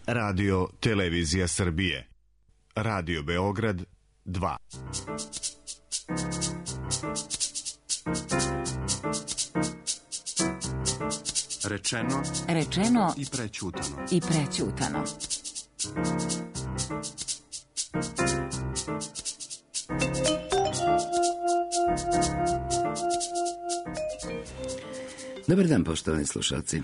Radio Televizija Srbije. Radio Beograd 2. Rečeno i prećutano. Dobar dan, poštovani slušalci.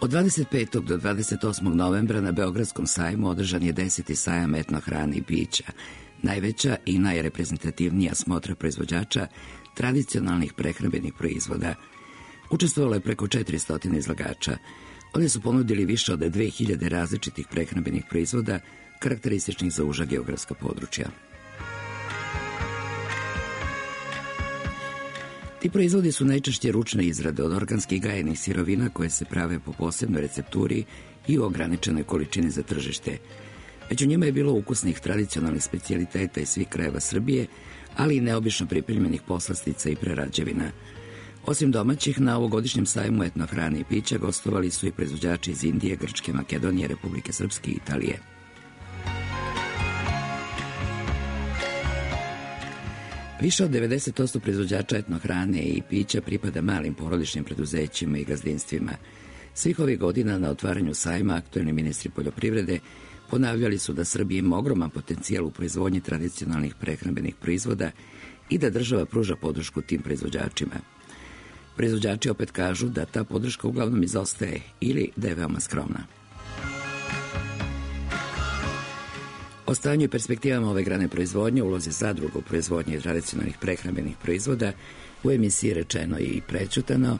Od 25. do 28. novembra na Beogradskom sajmu održan je 10. sajam etnohrane i pića, najveća i najreprezentativnija smotra proizvođača tradicionalnih prehrambenih proizvoda. Učestvovalo je preko 400 izlagača. Oni su ponudili više od 2000 različitih prehrambenih proizvoda karakterističnih za uža geografska područja. Ti proizvodi su najčešće ručne izrade od organskih gajenih sirovina koje se prave po posebnoj recepturi i u ograničenoj količini za tržište. Među njima je bilo ukusnih tradicionalnih specijaliteta iz svih krajeva Srbije, ali i neobično pripremljenih poslastica i prerađevina. Osim domaćih, na ovogodišnjem sajmu etnohrane i pića gostovali su i proizvođači iz Indije, Grčke, Makedonije, Republike Srpske i Italije. Više od 90% proizvođača etnohrane i pića pripada malim porodičnim preduzećima i gazdinstvima. Svih ovih godina na otvaranju sajma aktuelni ministri poljoprivrede ponavljali su da Srbija ima ogroman potencijal u proizvodnji tradicionalnih prehrambenih proizvoda i da država pruža podršku tim proizvođačima. Proizvođači opet kažu da ta podrška uglavnom izostaje ili da je veoma skromna. O stanju i perspektivama ove grane proizvodnje, ulozi zadruga u proizvodnji tradicionalnih prehrambenih proizvoda u emisiji Rečeno i prećutano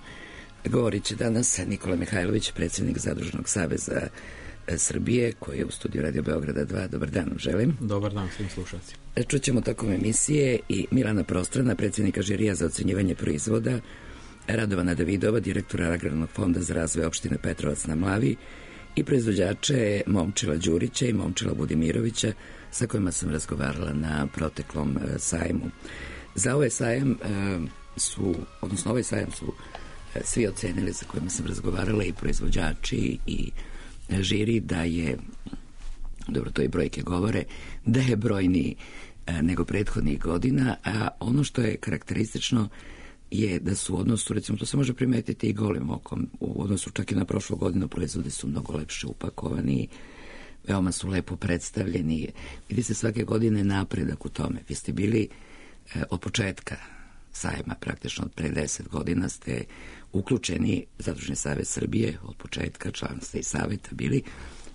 govorit će danas Nikola Mihajlović, predsjednik Zadružnog saveza Srbije, koji je u studiju Radio Beograda 2. Dobar dan, želim. Dobar dan svim slušalcima. Čućemo tokom emisije i Milana Prostrana, predsjednika žirija za ocenjivanje proizvoda, Radovana Davidova, direktora Agrarnog fonda za razvoj opštine Petrovac na Mlavi, i proizvođače Momčila Đurića i Momčila Budimirovića, sa kojima sam razgovarala na proteklom sajmu. Za ovaj sajam ovaj sajam su svi ocenili, sa kojima sam razgovarala, i proizvođači i žiri, da je, dobro, to i brojke govore, da je brojniji nego prethodnih godina, a ono što je karakteristično je da su u odnosu, recimo to se može primetiti i golim okom, u odnosu čak i na prošlu godinu, proizvodi su mnogo lepše upakovani, veoma su lepo predstavljeni. Vidi se svake godine napredak u tome. Vi ste bili od početka sajma, praktično od pre 10 godina ste uključeni, Zadružni savez Srbije, od početka, član ste i saveta bili.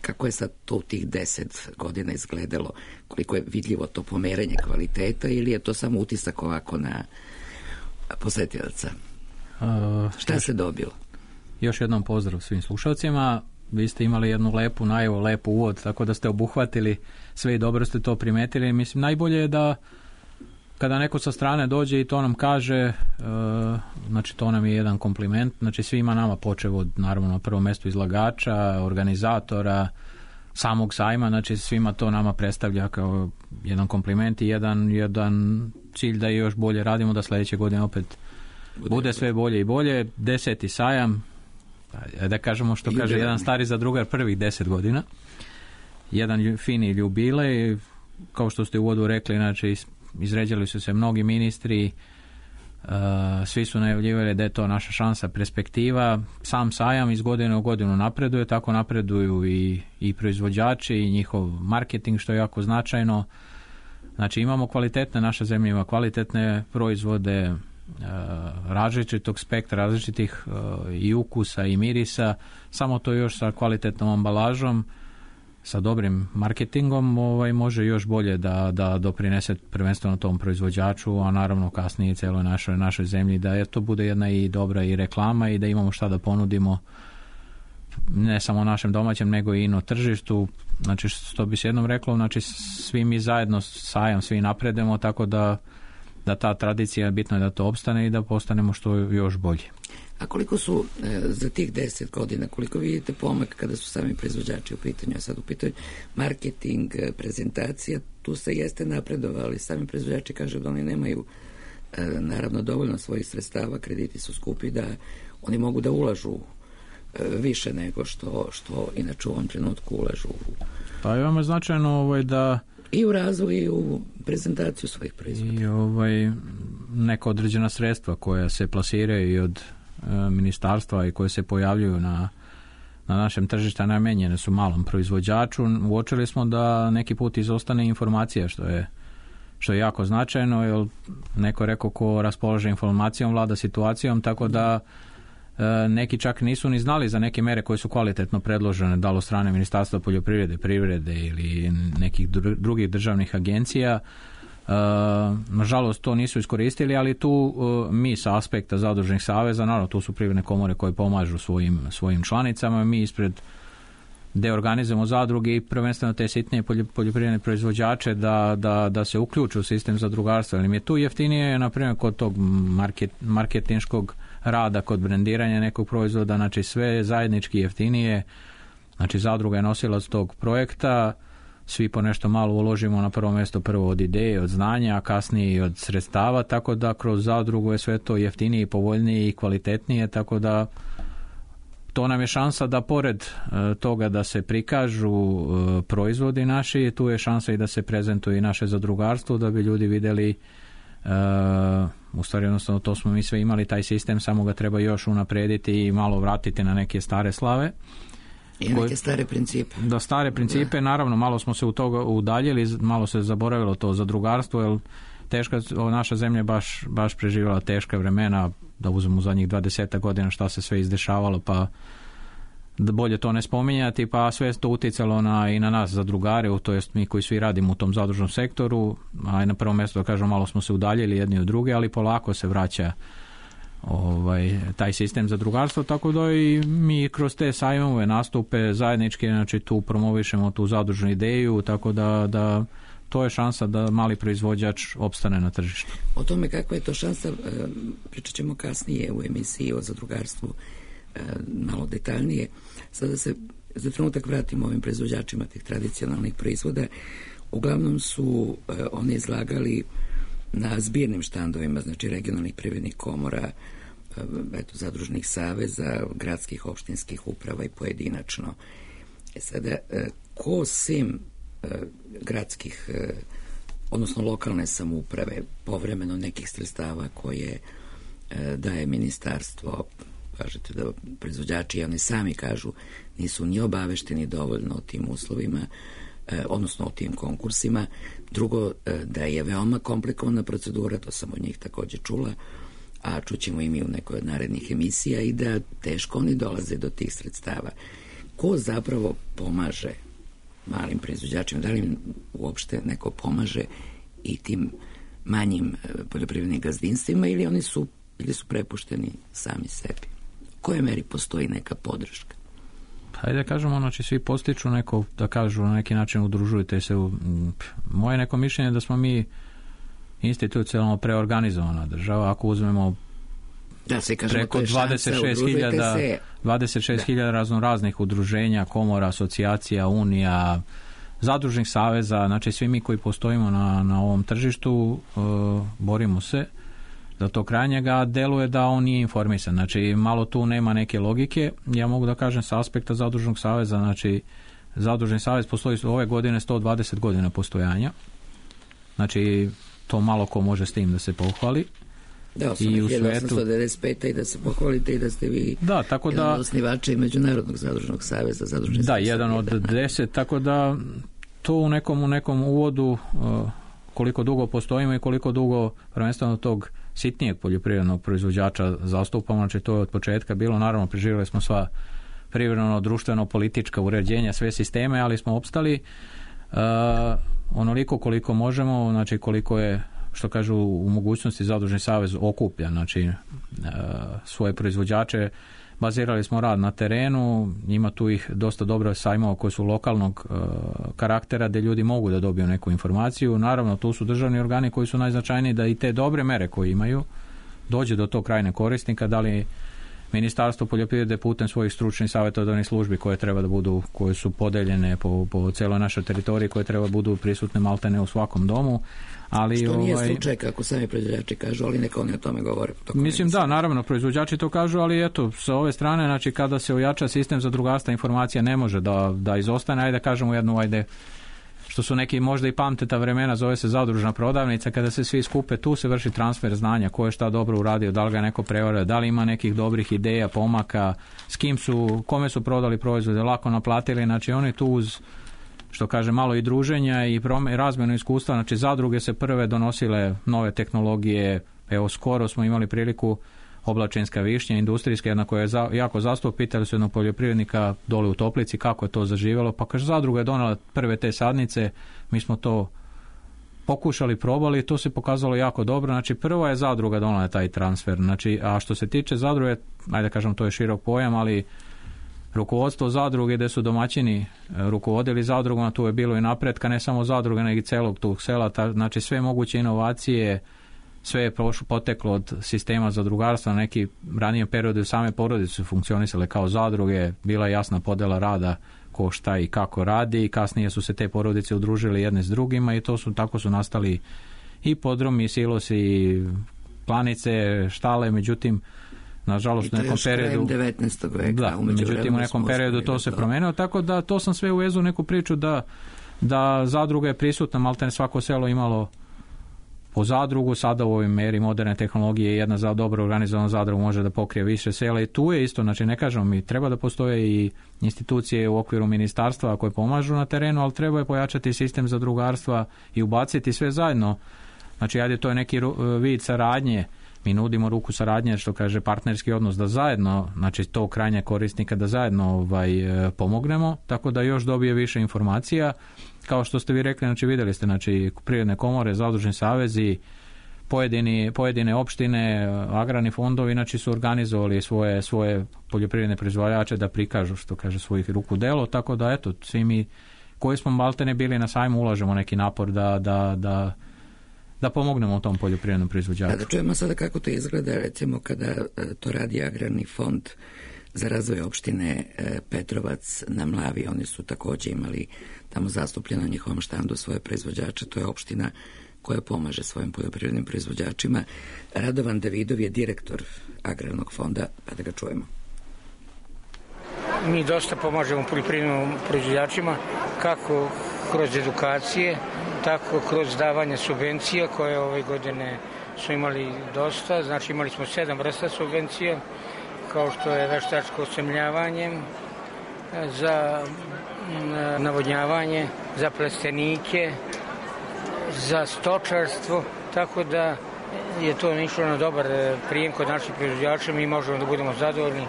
Kako je sad to u tih 10 godina izgledalo? Koliko je vidljivo to pomeranje kvaliteta ili je to samo utisak ovako na posetilaca? Šta se dobilo? Još jednom pozdrav svim slušalcima. Vi ste imali jednu lepu najavu, lepu uvod, tako da ste obuhvatili sve i dobro ste to primetili. Mislim, najbolje je da kada neko sa strane dođe i to nam kaže, znači to nam je jedan kompliment, znači svima nama, počev od, naravno, na prvom mjestu izlagača, organizatora, samog sajma, znači svima to nama predstavlja kao jedan kompliment i jedan cilj da još bolje radimo, da sljedeće godine opet bude sve bolje i bolje. 10. sajam, da kažemo što kaže jedan stari zadrugar, prvih 10 godina, jedan fini jubilej, kao što ste u uvodu rekli, znači izređali su se mnogi ministri, svi su najavljivali da je to naša šansa, perspektiva. Sam sajam iz godine u godinu napreduje, tako napreduju i proizvođači i njihov marketing, što je jako značajno. Znači imamo kvalitetne, naša zemlja ima kvalitetne proizvode različitog spektra, različitih i ukusa i mirisa, samo to još sa kvalitetnom ambalažom, sa dobrim marketingom može još bolje da doprinese prvenstveno tom proizvođaču, a naravno kasnije i celoj našoj zemlji, da to bude jedna i dobra i reklama i da imamo šta da ponudimo ne samo našem domaćem nego i na tržištu. Znači što bi se jednom reklo, znači svi mi zajedno sajam, svi napredemo, tako da ta tradicija, bitno je da to opstane i da postanemo što još bolji. A koliko su za tih 10 godina, koliko vidite pomak kada su sami proizvođači u pitanju, a sad u pitanju marketing, prezentacija, tu se jeste napredovali, sami proizvođači kažu da oni nemaju naravno dovoljno svojih sredstava, krediti su skupi, da oni mogu da ulažu više nego što inače u ovom trenutku ulažu. Pa je vam značajno da i u razvoj i u prezentaciju svojih proizvoda. I neka određena sredstva koja se plasiraju i od ministarstva i koje se pojavljuju na našem tržištu namijenjene su malom proizvođaču. Uočili smo da neki put izostane informacija, što je jako značajno, jer neko rekao ko raspolaže informacijom vlada situacijom, tako da neki čak nisu ni znali za neke mere koje su kvalitetno predložene, da li od strane Ministarstva poljoprivrede, privrede ili nekih drugih državnih agencija. Nažalost to nisu iskoristili, ali tu mi sa aspekta zadružnih saveza, naravno tu su privredne komore koje pomažu svojim članicama, mi ispred gdje organizujemo zadruge i prvenstveno te sitnije poljoprivredne proizvođače da se uključu u sistem zadrugarstva. Ali mi je tu jeftinije, na primjer, kod tog marketinškog rada, kod brendiranja nekog proizvoda, znači sve zajednički jeftinije, znači zadruga je nosilac tog projekta, svi po nešto malo uložimo na prvo mjesto, prvo od ideje, od znanja, a kasnije i od sredstava, tako da kroz zadrugu je sve to jeftinije, povoljnije i kvalitetnije, tako da to nam je šansa da pored toga da se prikažu proizvodi naši, tu je šansa i da se prezentuje i naše zadrugarstvo, da bi ljudi vidjeli, u stvari jednostavno to smo mi sve imali, taj sistem, samo ga treba još unaprijediti i malo vratiti na neke stare slave. I neke stare principe. Da, stare principe, naravno, malo smo se u toga udaljili, malo se zaboravilo to zadrugarstvo, jer naša zemlja baš preživjela teška vremena, da uzmemo zadnjih 20 godina šta se sve izdešavalo, pa da bolje to ne spominjati, pa sve to utjecalo i na nas zadrugare, to jest mi koji svi radimo u tom zadružnom sektoru, a i na prvom mjestu da kažem malo smo se udaljili jedni od druge, ali polako se vraća taj sistem zadrugarstva, tako da i mi kroz te sajmove nastupe zajednički, znači tu promovišemo tu zadružnu ideju, tako da to je šansa da mali proizvođač opstane na tržištu. O tome kakva je to šansa pričat ćemo kasnije u emisiji o zadrugarstvu malo detaljnije. Sada se za trenutak vratimo ovim proizvođačima tih tradicionalnih proizvoda. Uglavnom su oni izlagali na zbirnim štandovima, znači regionalnih privrednih komora, zadružnih saveza, gradskih, opštinskih uprava i pojedinačno. Sada, ko sem gradskih, odnosno lokalne samouprave, povremeno nekih sredstava koje daje ministarstvo, kažete da proizvođači, oni sami kažu, nisu ni obavešteni dovoljno o tim uslovima, odnosno o tim konkursima. Drugo, da je veoma komplikovana procedura, to sam od njih također čula, a čućemo i mi u nekoj od narednih emisija, i da teško oni dolaze do tih sredstava. Ko zapravo pomaže malim proizvođačima? Da li im uopšte neko pomaže i tim manjim poljoprivrednim gazdinstvima, ili oni su prepušteni sami sebi? U kojoj meri postoji neka podrška? Hajde da kažemo, znači svi postiču neko, da kažu na neki način udružujete se. Moje neko mišljenje je da smo mi institucionalno preorganizovana država. Ako uzmemo preko 26.000 raznoraznih udruženja, komora, asocijacija, unija, zadružnih saveza, znači svi mi koji postojimo na ovom tržištu, borimo se za to krajnjega, deluje da on nije informisan. Znači malo tu nema neke logike. Ja mogu da kažem sa aspekta zadružnog saveza, znači zadružni savez postoji ove godine 120 godina postojanja. Znači to malo ko može s tim da se pohvali. Da, i u svetu 1895. i da se pohvalite i da ste vi jedan od osnivača i Međunarodnog zadružnog saveza. Da, jedan od 10, tako da to u nekom uvodu koliko dugo postojimo i koliko dugo prvenstveno tog sitnijeg poljoprivrednog proizvođača zastupamo, znači to je od početka bilo, naravno preživjeli smo sva privredno, društveno, politička uređenja, sve sisteme, ali smo opstali onoliko koliko možemo, znači koliko je, što kažu, u mogućnosti zadružni savez okuplja, znači svoje proizvođače. Bazirali smo rad na terenu, ima tu ih dosta dobro sajmova koji su lokalnog karaktera, gdje ljudi mogu da dobiju neku informaciju. Naravno, tu su državni organi koji su najznačajniji da i te dobre mere koje imaju dođe do tog krajnjeg korisnika, da li Ministarstvo poljoprivrede putem svojih stručnih savjetodavnih službi koje su podeljene po cijeloj našoj teritoriji, koje treba budu prisutne maltene u svakom domu. Ali, što nije slučaj kako sami proizvođači kažu, ali neka oni o tome govore. Mislim da, naravno, proizvođači to kažu, ali eto, sa ove strane, znači kada se ojača sistem zadrugarstva, informacija ne može da izostane, ajde kažemo jednu, što su neki možda i pamte ta vremena, zove se zadružna prodavnica, kada se svi skupe, tu se vrši transfer znanja, ko je šta dobro uradio, da li ga neko prevario, da li ima nekih dobrih ideja, pomaka, kome su prodali proizvode, lako naplatili, znači oni tu uz, što kaže, malo i druženja i razmjenu iskustva, znači zadruge se prve donosile nove tehnologije, evo skoro smo imali priliku oblačinska višnja, industrijska, jedna koja je jako zastup, pitali su jednog poljoprivrednika dole u Toplici kako je to zaživjelo, pa kaže zadruga je donela prve te sadnice, mi smo to pokušali, probali i to se pokazalo jako dobro, znači prva je zadruga donela taj transfer, znači, a što se tiče zadruge, ajde kažem to je širok pojam, ali rukovodstvo zadruge gdje su domaćini rukovodili zadrugama, tu je bilo i napretka, ne samo zadruge, nego i celog tog sela, znači sve moguće inovacije, sve je poteklo od sistema zadrugarstva, na neki ranije periode same porodice su funkcionisale kao zadruge, bila je jasna podjela rada ko šta i kako radi i kasnije su se te porodice udružile jedne s drugima i tako su nastali i podromi, silosi, planice, štale, međutim nažalost u nekom periodu 19. veka, da, međutim u nekom periodu to se promenilo, tako da to sam sve uvezu neku priču da zadruga je prisutna, maltene svako selo imalo po zadrugu, sada u ovoj meri moderne tehnologije jedna dobro organizovana zadruga može da pokrije više sela i tu je isto, znači ne kažemo mi, treba da postoje i institucije u okviru ministarstva koje pomažu na terenu, ali treba je pojačati sistem zadrugarstva i ubaciti sve zajedno, znači ajde to je neki vid saradnje, mi nudimo ruku saradnje, što kaže partnerski odnos, da zajedno, znači to krajnje korisnika, da zajedno pomognemo, tako da još dobije više informacija. Kao što ste vi rekli, znači vidjeli ste, znači privredne komore, zadružni savezi, pojedine opštine, agrarni fondovi, znači su organizovali svoje poljoprivredne proizvođače da prikažu, što kaže, svojih ruku delo, tako da eto, svi mi koji smo maltene bili na sajmu ulažemo neki napor da pomognemo tom poljoprivrednom proizvođaču. Da čujemo sada kako to izgleda, recimo kada to radi Agrarni fond za razvoj opštine Petrovac na Mlavi, oni su također imali tamo zastupljeno na njihovom štandu svoje proizvođače, to je opština koja pomaže svojim poljoprivrednim proizvođačima. Radovan Davidov je direktor Agrarnog fonda, pa da ga čujemo. Mi dosta pomažemo poljoprivrednim proizvođačima, kako kroz edukacije, tako kroz davanje subvencija koje ove godine su imali dosta, znači imali smo 7 vrsta subvencija, kao što je veštačko osemljavanje, za navodnjavanje, za plastenike, za stočarstvo, tako da je to išlo na dobar prijem kod naših proizvođača, mi možemo da budemo zadovoljni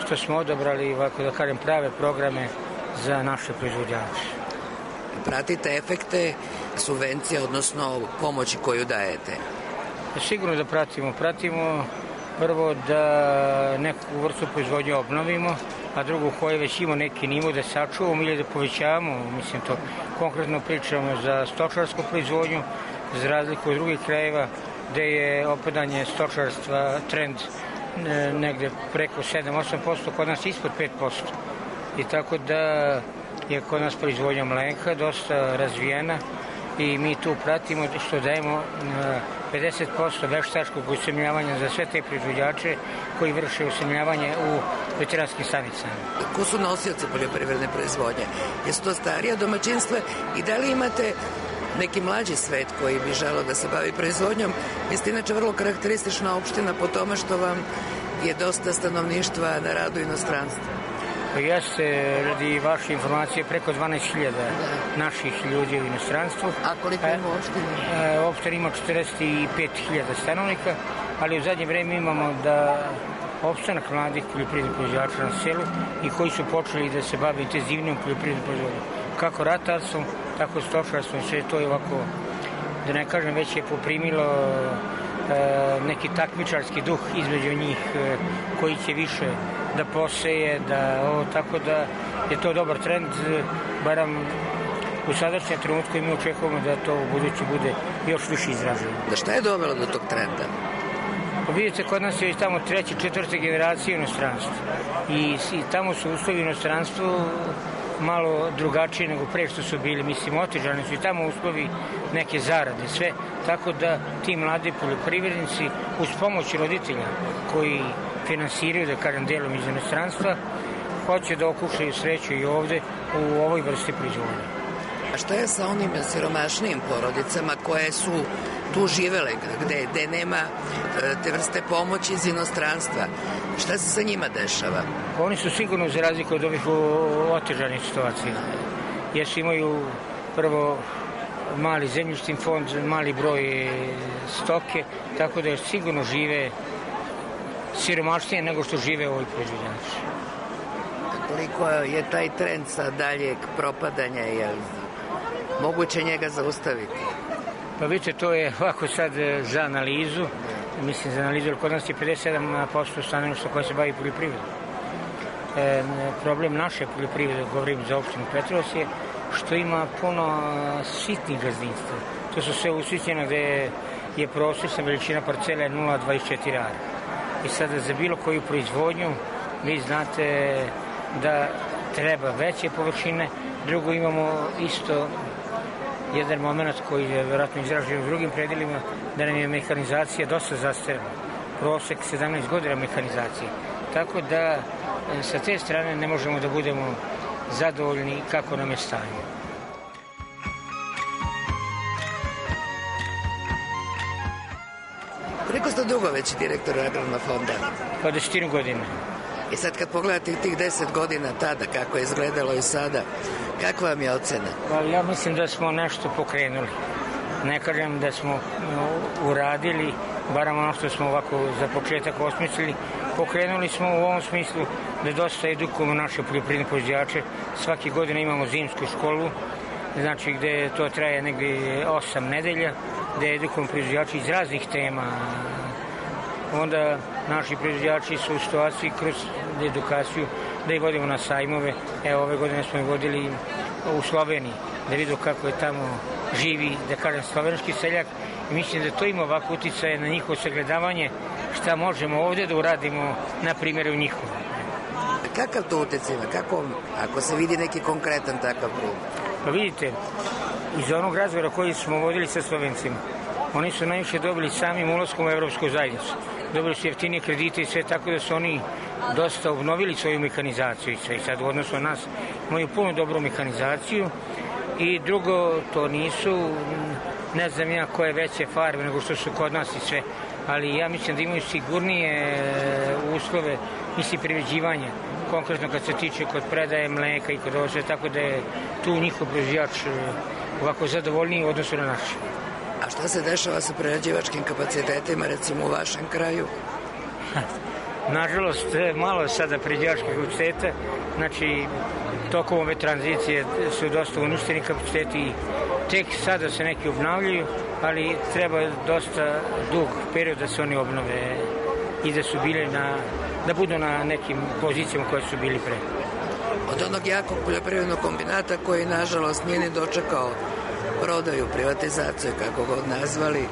što smo odabrali, ovako da kažem, prave programe za naše proizvođače. Pratite efekte subvencije, odnosno pomoći koju dajete? Sigurno da pratimo. Pratimo prvo da neku vrstu proizvodnje obnovimo, a drugo koje već ima neki nivo da sačuvamo ili da povećavamo. Mislim, to konkretno pričamo za stočarsku proizvodnju, za razliku od drugih krajeva gde je opadanje stočarstva trend negde preko 7-8%, kod nas ispod 5%. I tako da je kod nas proizvodnja mleka dosta razvijena i mi tu pratimo što dajemo 50% veštačkog usemljavanja za sve te proizvođače koji vrše usemljavanje u veteranskim stanicama. Ko su nosioci poljoprivredne proizvodnje? Jesu to starija domaćinstva i da li imate neki mlađi svet koji bi želeo da se bavi proizvodnjom? Vi ste inače vrlo karakteristična opština po tome što vam je dosta stanovništva na radu u inostranstvu. Jeste, radi vaše informacije, preko 12.000 naših ljudi u inostranstvu. A koliko ima opština? Opština ima 45.000 stanovnika, ali u zadnje vreme imamo da opstanak mladih poljoprivrednih proizvođača na selu i koji su počeli da se bave intenzivnijom poljoprivrednom proizvodnjom. Kako ratarstvom, tako stočarstvom, sve to je ovako, da ne kažem, već je poprimilo neki takmičarski duh između njih koji će više da poseje, tako da je to dobar trend, baram u sadašnjem trenutku i mi očekujemo da to u budući bude još više izraženo. Da šta je dovelo do tog trenda? Vidite, kod nas je tamo 3., 4. generacija inostranstva i tamo su uslovi u inostranstvu malo drugačije nego pre što su bili. Mislim, otežani su i tamo uslovi neke zarade, sve. Tako da ti mladi poljoprivrednici uz pomoć roditelja koji finansiraju, da kažem, delom iz inostranstva, hoće da okušaju sreću i ovde u ovoj vrsti proizvodnje. A šta je sa onim siromašnijim porodicama koje su tu živele, gde nema te vrste pomoći iz inostranstva? Šta se sa njima dešava? Oni su sigurno za razliku od ovih otežanih situacija. Jer imaju prvo mali zemljišni fond, mali broj stoke, tako da sigurno žive siromašnije nego što žive ovi proizvođači. Koliko je taj trend sa daljeg propadanja, je li moguće njega zaustaviti? Pa vidite, to je ovako sad za analizu. Mislim, za analizu, jer kod nas je 57% stanovništva koje se bavi poljoprivredom. Problem naše poljoprivrede, govorim za opštinu Petrovac, je što ima puno sitnih gazdinstva. To su sve usitnjeno gde je prosječna veličina parcela 0,24 ara. I sada za bilo koju proizvodnju vi znate da treba veće površine. Drugo, imamo isto jedan moment koji je vjerojatno izražen u drugim predelima, da nam je mehanizacija dosta zastarela. Prosek 17 godina mehanizacije. Tako da sa te strane ne možemo da budemo zadovoljni kako nam je stanje. Koliko ste dugo već direktor Agrarnog fonda? Pa 10 godina. I sad kad pogledate tih 10 godina tada, kako je izgledalo i sada, kakva vam je ocena? Pa ja mislim da smo nešto pokrenuli. Ne kažem da smo uradili, barem ono što smo ovako za početak osmislili, pokrenuli smo u ovom smislu da dosta edukujemo naše poljoprivredne proizvođače. Svake godine imamo zimsku školu, znači gde to traje negdje 8 nedelja, gde edukujemo proizvođače iz raznih tema. Onda naši proizvođači su u situaciji kroz edukaciju da ih vodimo na sajmove. Evo, ove godine smo ih vodili u Sloveniji, da vidu kako je tamo živi, da kažem, slovenski seljak. I mislim da to ima ovako uticaje na njihovo sagledavanje šta možemo ovde da uradimo, na primjer, u njihovom. Kakav to uticaj ima? Kako, ako se vidi neki konkretan takav primjer? Pa vidite, iz onog razgovora koji smo vodili sa Slovencima, oni su najviše dobili samim ulaskom u Evropsku zajednicu. Dobili su jeftinije kredite i sve, tako da su oni dosta obnovili svoju mehanizaciju i sve. I sad u odnosu na nas imaju puno dobru mehanizaciju. I drugo, to nisu, ne znam ja koje veće farme nego što su kod nas i sve, ali ja mislim da imaju sigurnije uslove, mislim, priređivanja, konkretno kad se tiče kod predaje mleka i kod ovo sve, tako da je tu njihov proizvođač ovako zadovoljniji u odnosu na naš. A šta se dešava sa prerađivačkim kapacitetima, recimo u vašem kraju? Nažalost, malo je sada prerađivačkih kapaciteta, znači tokom ove tranzicije su dosta uništeni kapaciteti i tek sada se neki obnavljaju, ali treba dosta dug period da se oni obnove i da su bili da budu na nekim pozicijama koje su bili pre. Od onog jakog poljoprivrednog kombinata koji, nažalost, nije ni dočekao prodaju, privatizaciju, kako god nazvali,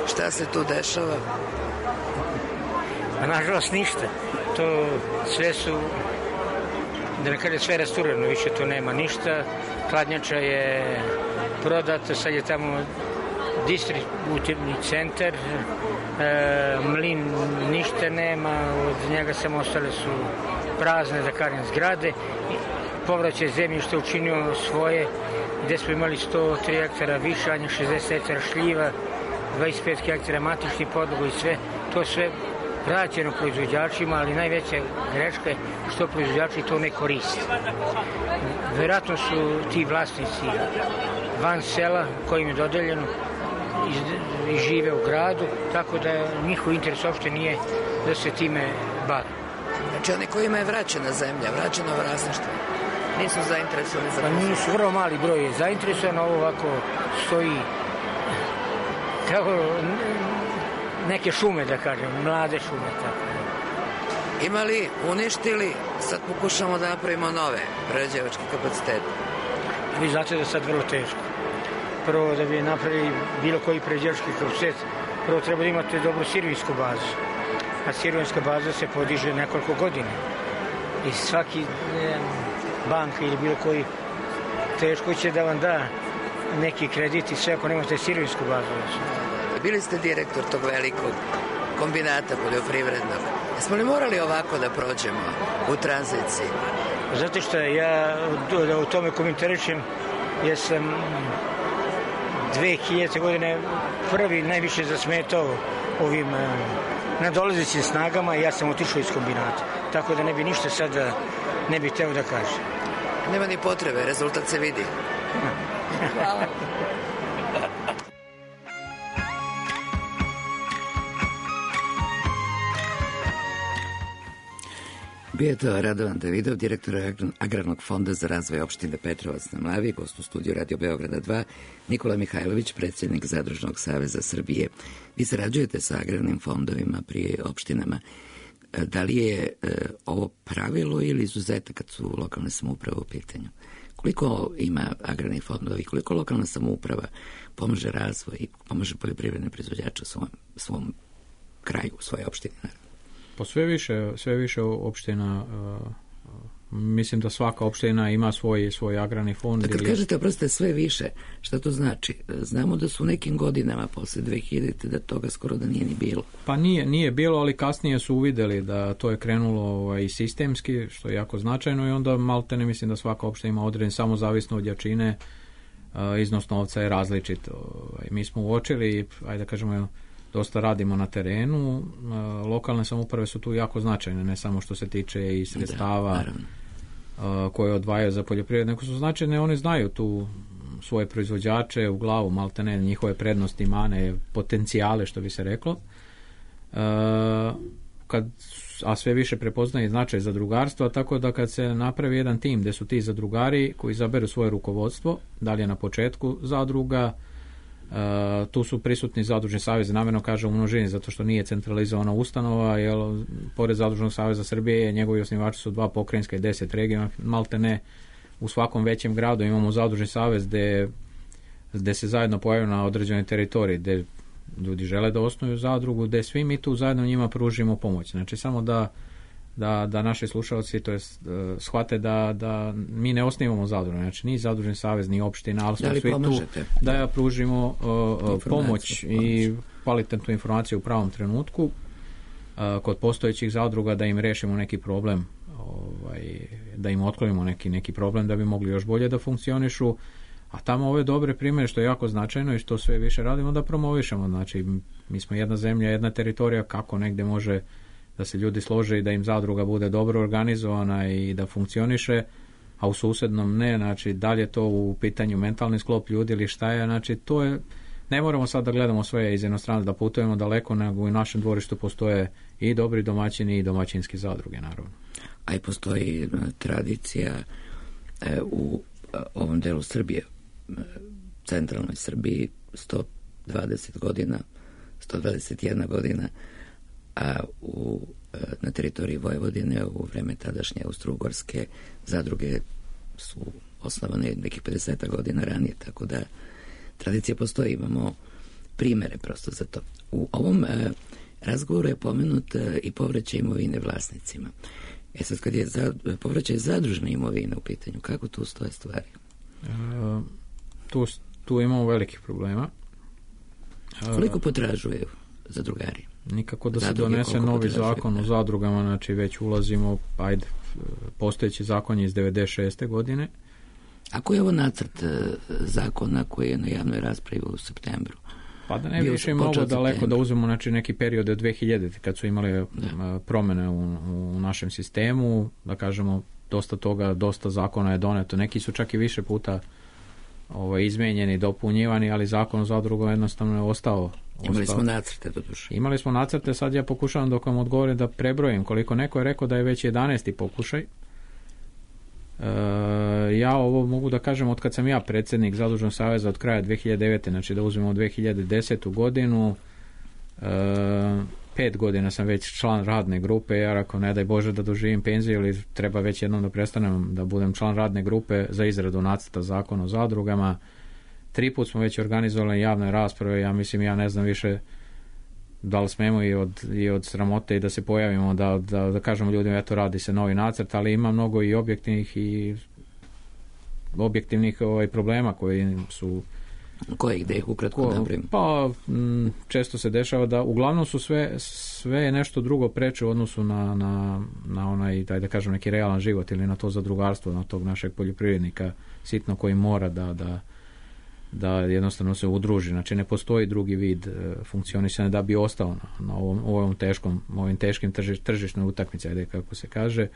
šta se tu dešava? Pa, nažalost, ništa. To sve su, da ne kaže, sve rastureno, više tu nema ništa. Hladnjača je prodata, sad je tamo distributivni centar, mlin ništa nema, od njega samo ostale su prazne, da kažem, zgrade. Povraćaj zemljište učinio svoje, gde smo imali 103 hektara višanja, 60 hektara šljiva, 25 hektara matičnih podloga i sve, to sve vraćeno proizvođačima, ali najveća greška je što proizvođači to ne koriste. Verovatno su ti vlasnici van sela kojim je dodeljeno i žive u gradu, tako da njihov interes uopšte nije da se time bave. Znači oni kojima je vraćena zemlja, vraćeno vlasništvo, nisu zainteresovani za posao? Pa nisu, vrlo mali broj je zainteresovan, ovo ovako stoji kao neke šume, da kažem, mlade šume, tako. Imali, uništili, sad pokušamo da napravimo nove prerađivačke kapacitete. Vi znate da je sad vrlo teško. Prvo, da bi napravili bilo koji prerađivački kapacitet, prvo treba da imate dobru servisku bazu. a sirovinska baza se podiže nekoliko godina. I svaki banka ili bilo koji teško će da vam da neki kredit i sve ako nemate sirovinsku bazu. Bili ste direktor tog velikog kombinata poljoprivrednog. Jesmo li morali ovako da prođemo u tranziciji? Zato što ja da u tome komentarišem, ja sam 2000. godine prvi najviše zasmetao ovim nadolazećim snagama i ja sam otišao iz kombinata. Tako da ne bi ništa sada ne bi teo da kažem. Nema ni potrebe, rezultat se vidi. Hvala. Bio je to Radovan Davidov, direktor Agrarnog fonda za razvoj opštine Petrovac na Mlavi, gost u studiju Radio Beograda 2, Nikola Mihajlović, predsjednik Zadružnog saveza Srbije. Vi sarađujete sa agrarnim fondovima pri opštinama. Da li je ovo pravilo ili izuzetak kad su lokalne samouprave u pitanju? Koliko ima agrarnih fondova i koliko lokalna samouprava pomaže razvoj i pomaže poljoprivredne proizvođače svom kraju, u svojoj opštini? Pa sve više opština, mislim da svaka opština ima svoj agrarni fond. Kad kažete, oprostite, sve više, šta to znači? Znamo da su u nekim godinama posle 2000. da toga skoro da nije ni bilo. Pa nije bilo, ali kasnije su uvideli da to je krenulo i sistemski, što je jako značajno, i onda maltene mislim da svaka opština ima određen, samo zavisno od jačine, iznos novca je različit. Mi smo uočili, ajde da kažemo, dosta radimo na terenu, lokalne samouprave su tu jako značajne, ne samo što se tiče i sredstava koje odvajaju za poljoprivredu, nego su značajne, oni znaju tu svoje proizvođače u glavu, maltene njihove prednosti, mane, potencijale, što bi se reklo. A sve više prepoznaje značaj zadrugarstva, tako da kad se napravi jedan tim gde su ti zadrugari koji izaberu svoje rukovodstvo, da li je na početku zadruga, tu su prisutni zadružni savez, namjerno kažem u množini zato što nije centralizovana ustanova, jer pored Zadružnog saveza Srbije njegovi osnivači su 2 pokrajinska i 10 regiona, malte ne u svakom većem gradu imamo zadružni savez gde se zajedno pojavljaju na određenoj teritoriji, gde ljudi žele da osnuju zadrugu, gde svi mi tu zajedno njima pružimo pomoć. Znači samo da naši slušalci shvate da mi ne osnivamo zadrugu, znači ni zadružni savez, ni opština, ali smo svi tu da ja pružimo pomoć i kvalitetnu informaciju u pravom trenutku kod postojećih zadruga, da im rešimo neki problem, da im otklonimo neki problem da bi mogli još bolje da funkcionišu, a tamo ove dobre primjere, što je jako značajno i što sve više radimo, da promovišemo. Znači mi smo jedna zemlja, jedna teritorija, kako negde može da se ljudi slože i da im zadruga bude dobro organizovana i da funkcioniše, a u susednom ne, znači da li je to u pitanju mentalni sklop ljudi ili šta je, znači to je, ne moramo sad da gledamo sve iz inostranstva, da putujemo daleko, nego u našem dvorištu postoje i dobri domaćini i domaćinski zadruge, naravno. A i postoji tradicija u ovom delu Srbije, centralnoj Srbiji, 120 godina, 121 godina, a na teritoriji Vojvodine u vreme tadašnje Austro-Ugarske zadruge su osnovane nekih 50 godina ranije, tako da tradicija postoji, imamo primere prosto za to. U ovom razgovoru je pomenut i povraćaj imovine vlasnicima. Sad kad je povraćaj zadružne imovine u pitanju, kako tu stoje stvari? Tu imamo velikih problema. Koliko potražuju zadrugari? Nikako da se donese novi zakon o zadrugama, znači već ulazimo, postojeći zakon je iz 96. godine. A koji je ovo nacrt zakona koji je na javnoj raspravi u septembru? Pa da ne bi više mnogo daleko da uzmemo, znači neki period od 2000. kad su imali promene u našem sistemu, da kažemo dosta zakona je doneto, neki su čak i više puta izmenjeni, dopunjivani, ali zakon o zadrugama jednostavno je ostao. Imali smo nacrte do duše. Imali smo nacrte, sad ja pokušavam dok vam odgovorim da prebrojim koliko. Neko je rekao da je već 11. pokušaj. Ja ovo mogu da kažem od kad sam ja predsjednik Zadružnog saveza od kraja 2009. znači da uzmemo 2010. godinu, 5 godina sam već član radne grupe, ja rekao ne daj Bože da doživim penziju ili treba već jednom da prestanem da budem član radne grupe za izradu nacrta zakona o zadrugama. 3 put smo već organizovali javne rasprave, ja mislim, ja ne znam više da li smemo i od sramote i da se pojavimo, da kažemo ljudima eto radi se novi nacrt, ali ima mnogo i objektivnih problema koji su... Kojih da ih ukratko napravim? Pa često se dešava da uglavnom su sve je nešto drugo preče u odnosu na onaj, da kažem, neki realan život ili na to zadrugarstvo, na tog našeg poljoprivrednika sitno koji mora da jednostavno se udruži. Znači ne postoji drugi vid funkcionisanja da bi ostao na ovim teškim tržišnoj utakmici, ajde kako se kaže.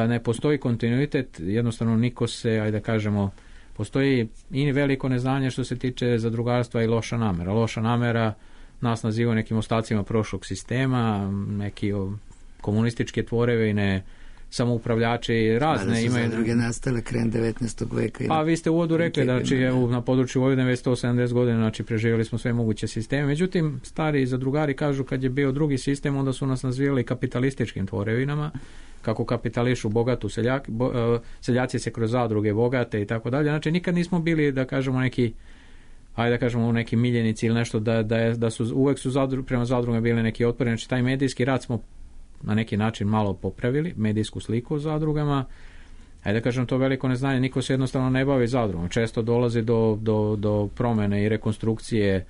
Ne postoji kontinuitet, jednostavno niko se, ajde kažemo, postoji i veliko neznanje što se tiče zadrugarstva i loša namera. Loša namera nas naziva nekim ostacima prošlog sistema, neki komunističke tvorevine, samoupravljači razne imaju. Zadruge nastale krajem 19. veka. Pa vi ste u uvodu rekli da na području Vojvodine već 170 godina, znači preživjeli smo sve moguće sisteme. Međutim, stari zadrugari kažu kad je bio drugi sistem, onda su nas nazivali kapitalističkim tvorevinama, kako kapitališu bogatu seljaci se kroz zadruge bogate i tako dalje. Znači nikad nismo bili, da kažemo, neki miljenici ili nešto, da su uvek prema zadrugama bili neki otpori. Znači taj medijski rad smo na neki način malo popravili, medijsku sliku o zadrugama. Ajde da kažem, to veliko neznanje, niko se jednostavno ne bavi zadrugom. Često dolazi do promene i rekonstrukcije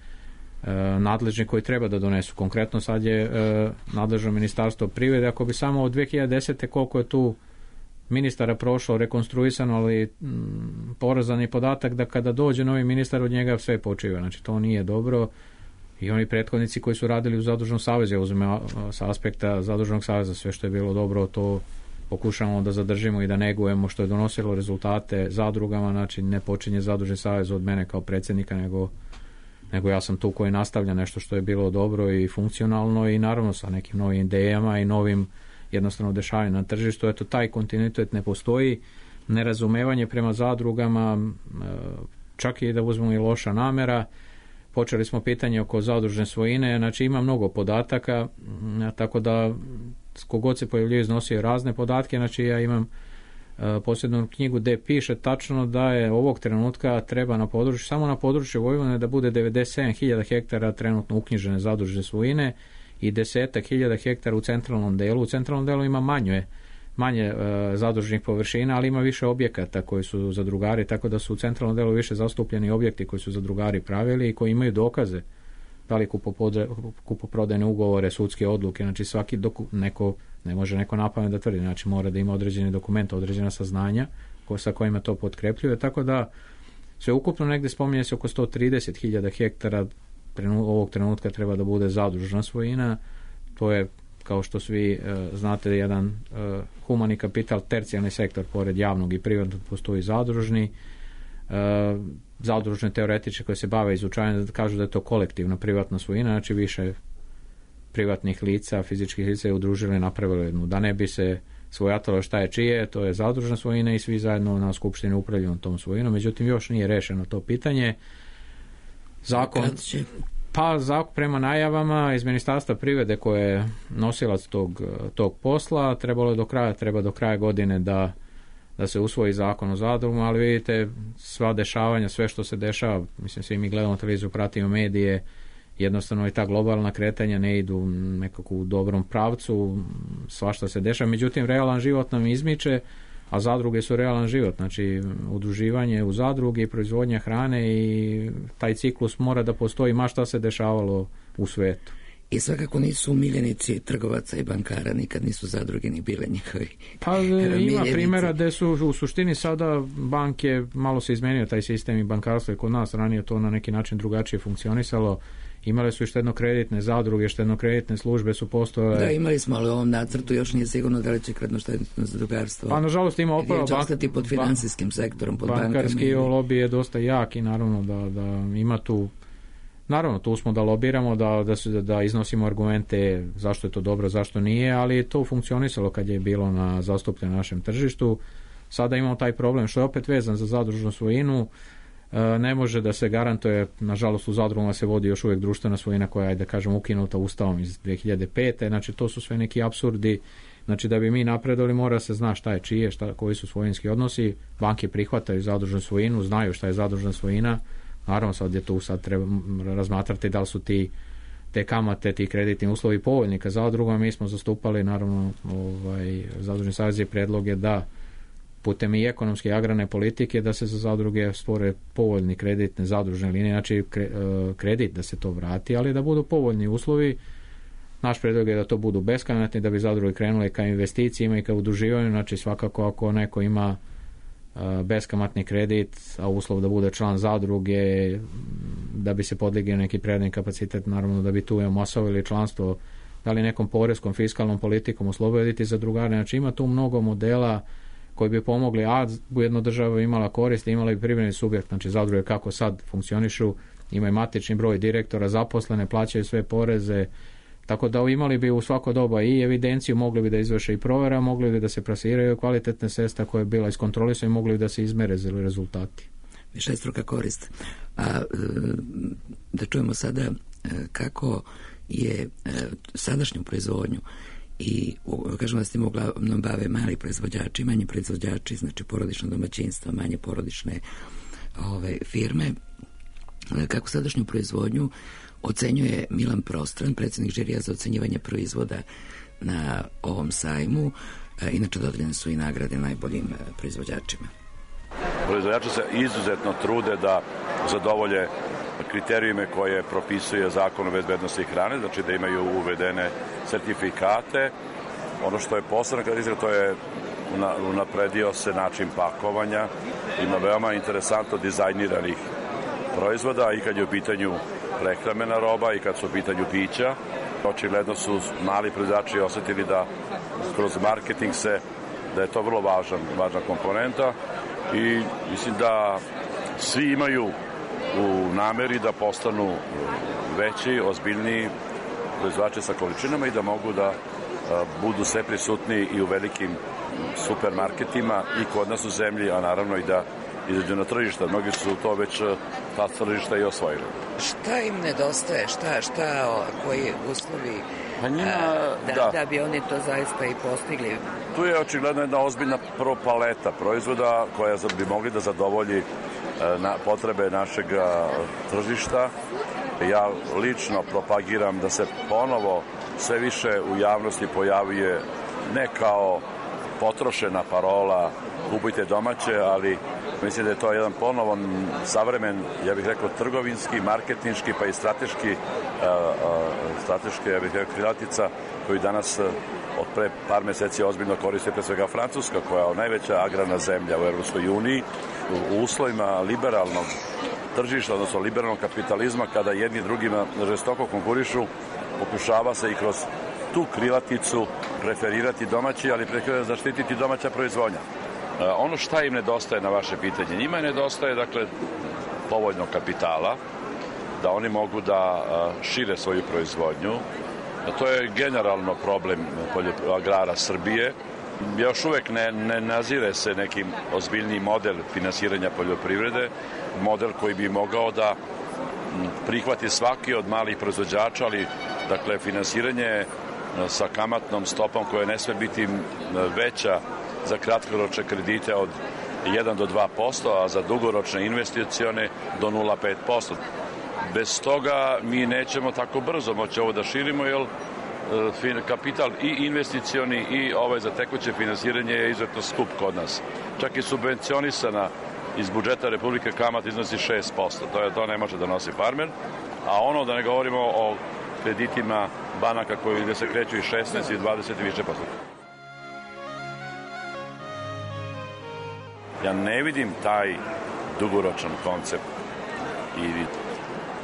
nadležni koji treba da donesu. Konkretno sad je nadležno Ministarstvo privrede. Ako bi samo od 2010. koliko je tu ministara prošlo, rekonstruisano, ali porazan je podatak da kada dođe novi ministar od njega sve počiva. Znači to nije dobro. I oni prethodnici koji su radili u Zadružnom savezu, ja uzmem sa aspekta Zadružnog saveza, sve što je bilo dobro, to pokušamo da zadržimo i da negujemo, što je donosilo rezultate zadrugama. Znači ne počinje Zadružni savez od mene kao predsjednika, nego ja sam tu koji nastavlja nešto što je bilo dobro i funkcionalno i naravno sa nekim novim idejama i novim jednostavno dešavanjem na tržištu. Eto, taj kontinuitet ne postoji, nerazumevanje prema zadrugama, čak i da uzmemo i loša namera. Počeli smo pitanje oko zadružne svojine, znači ima mnogo podataka, tako da kogod se pojavljuje iznosio razne podatke. Znači ja imam posebnu knjigu gde piše tačno da je ovog trenutka treba samo na području Vojvodine da bude 97.000 hektara trenutno uknjižene zadružne svojine i 10.000 hektara u centralnom delu. U centralnom delu ima manje zadružnih površina, ali ima više objekata koji su zadrugari, tako da su u centralnom delu više zastupljeni objekti koji su zadrugari pravili i koji imaju dokaze, da li kupoprodajne ugovore, sudske odluke. Znači svaki ne može neko napamet da tvrdi, znači mora da ima određeni dokument, određena saznanja sa kojima to potkrepljuje, tako da sve ukupno negde spominje se oko 130.000 hektara ovog trenutka treba da bude zadružna svojina. To je, kao što svi znate, jedan humani kapital, tercijalni sektor, pored javnog i privatnog postoji zadružni. Zadružne teoretiče koje se bave izučavanjem kažu da je to kolektivna privatna svojina, znači više privatnih lica, fizičkih lica je udružili i napravili jednu, da ne bi se svojatalo šta je čije, to je zadružna svojina i svi zajedno na skupštini upravljaju tom svojinom. Međutim, još nije rešeno to pitanje. Zakon prema najavama iz Ministarstva privrede koje je nosilac tog posla, treba do kraja godine da se usvoji zakon o zadrugama, ali vidite sva dešavanja, sve što se dešava, mislim svi mi gledamo televiziju, pratimo medije, jednostavno i ta globalna kretanja ne idu nekako u dobrom pravcu, svašta se dešava. Međutim, realan život nam izmiče, a zadruge su realan život, znači udruživanje u zadruge i proizvodnja hrane i taj ciklus mora da postoji ma šta se dešavalo u svetu. I svakako nisu miljenici trgovaca i bankara, nikad nisu zadruge ni bile njihovi. Pa ima primjera gde su u suštini sada banke, malo se izmenio taj sistem i bankarstvo i kod nas, ranije to na neki način drugačije funkcionisalo. Imale su i štedno-kreditne zadruge, štedno-kreditne službe su postojale. Da, imali smo, ali u ovom nacrtu još nije sigurno da li će kreditno zadrugarstvo. Pa nažalost ima opravo. Će ostati pod finansijskim sektorom, pod bankama. Bankarski lobby je dosta jak i naravno da ima tu. Naravno, tu smo da lobiramo, da iznosimo argumente zašto je to dobro, zašto nije, ali je to funkcionisalo kad je bilo na zastupljenom našem tržištu. Sada imamo taj problem što je opet vezan za zadružnu svojinu. Ne može da se garantuje, nažalost u zadrugama se vodi još uvijek društvena svojina koja je, da kažem, ukinuta Ustavom iz 2005. Znači to su sve neki apsurdi. Znači da bi mi napredovali mora se zna šta je čije, koji su svojinski odnosi. Banke prihvataju zadružnu svojinu, znaju šta je zadružna svojina. Naravno sad treba razmatrati da li su ti te kamate, ti kreditni uslovi povoljni ka zadrugama. Mi smo zastupali, naravno, Zadružni savez je predlog je da putem i ekonomske i agrarne politike da se za zadruge stvore povoljni kreditne zadružne linije, znači kredit da se to vrati, ali da budu povoljni uslovi. Naš predlog je da to budu beskamatni, da bi zadruge krenule ka investicijama i ka udruživanju, znači svakako ako neko ima beskamatni kredit, a uslov da bude član zadruge, da bi se podigao neki privredni kapacitet, naravno da bi tu omasovili članstvo, da li nekom poreskom, fiskalnom politikom osloboditi zadrugare, znači ima tu mnogo modela koji bi pomogli, a ujedno država imala korist, imala bi privredni subjekt, znači zadruge kako sad funkcionišu, imaju matični broj direktora, zaposlene, plaćaju sve poreze, tako da imali bi u svako doba i evidenciju, mogli bi da izvrše i provera, mogli bi da se plasiraju kvalitetne sredstva koje je bila iskontrolisana i mogli bi da se izmere rezultati. Višestruka korist. A da čujemo sada kako je sadašnju proizvodnju i kažemo da se tim uglavnom bave mali proizvođači, manji proizvođači, znači porodično domaćinstvo, manje porodične firme. Kako sadašnju proizvodnju ocenjuje Milan Prostran, predsjednik žirija za ocenjivanje proizvoda na ovom sajmu. Inače dodeljene su i nagrade najboljim proizvođačima. Proizvođači se izuzetno trude da zadovolje kriterijume koje propisuje Zakon o bezbednosti hrane, znači da imaju uvedene sertifikate. Ono što je posebno karakteristika, to je unapredio se način pakovanja. Ima veoma interesantno dizajniranih proizvoda i kad je u pitanju prehrambena roba i kad su u pitanju pića. Očigledno su mali proizvođači osetili da kroz marketing da je to vrlo važna komponenta i mislim da svi imaju u nameri da postanu veći, ozbiljniji proizvođači sa količinama i da mogu da budu sve prisutni i u velikim supermarketima i kod nas u zemlji, a naravno i da izađu na tržišta. Mnogi su to već ta tržišta i osvojili. Šta im nedostaje? Koji uslovi da bi oni to zaista i postigli? Tu je očigledno jedna ozbiljna paleta proizvoda koja bi mogli da zadovolji potrebe našeg tržišta. Ja lično propagiram da se ponovo sve više u javnosti pojavljuje ne kao potrošena parola kupujte domaće, ali mislim da je to jedan ponovan savremen, ja bih rekao, trgovinski, marketinški pa i strateške, ja bih rekao, krilatica koju danas od pre par meseci ozbiljno koriste pre svega Francuska, koja je najveća agrarna zemlja u Evropskoj uniji, u uslovima liberalnog tržišta, odnosno liberalnog kapitalizma, kada jedni drugima žestoko konkurišu, pokušava se i kroz tu krilaticu preferirati domaći, ali pre zaštititi domaća proizvodnja. Ono šta im nedostaje na vaše pitanje? Njima nedostaje, dakle, povoljnog kapitala, da oni mogu da šire svoju proizvodnju. To je generalno problem agrara Srbije. Još uvek ne nazire se nekim ozbiljniji model finansiranja poljoprivrede, model koji bi mogao da prihvati svaki od malih proizvođača, ali dakle finansiranje sa kamatnom stopom koja ne sme biti veća za kratkoročne kredite od 1 do 2%, a za dugoročne investicione do 0,5%. Bez toga mi nećemo tako brzo moći ovo da širimo, jer kapital i investicioni i za tekuće finansiranje je izuzetno skup kod nas. Čak i subvencionisana iz budžeta Republike kamata iznosi 6%. To ne može da nosi farmer. A ono da ne govorimo o kreditima banaka koji se kreću i 16 i 20 i više posto. Ja ne vidim taj dugoročan koncept i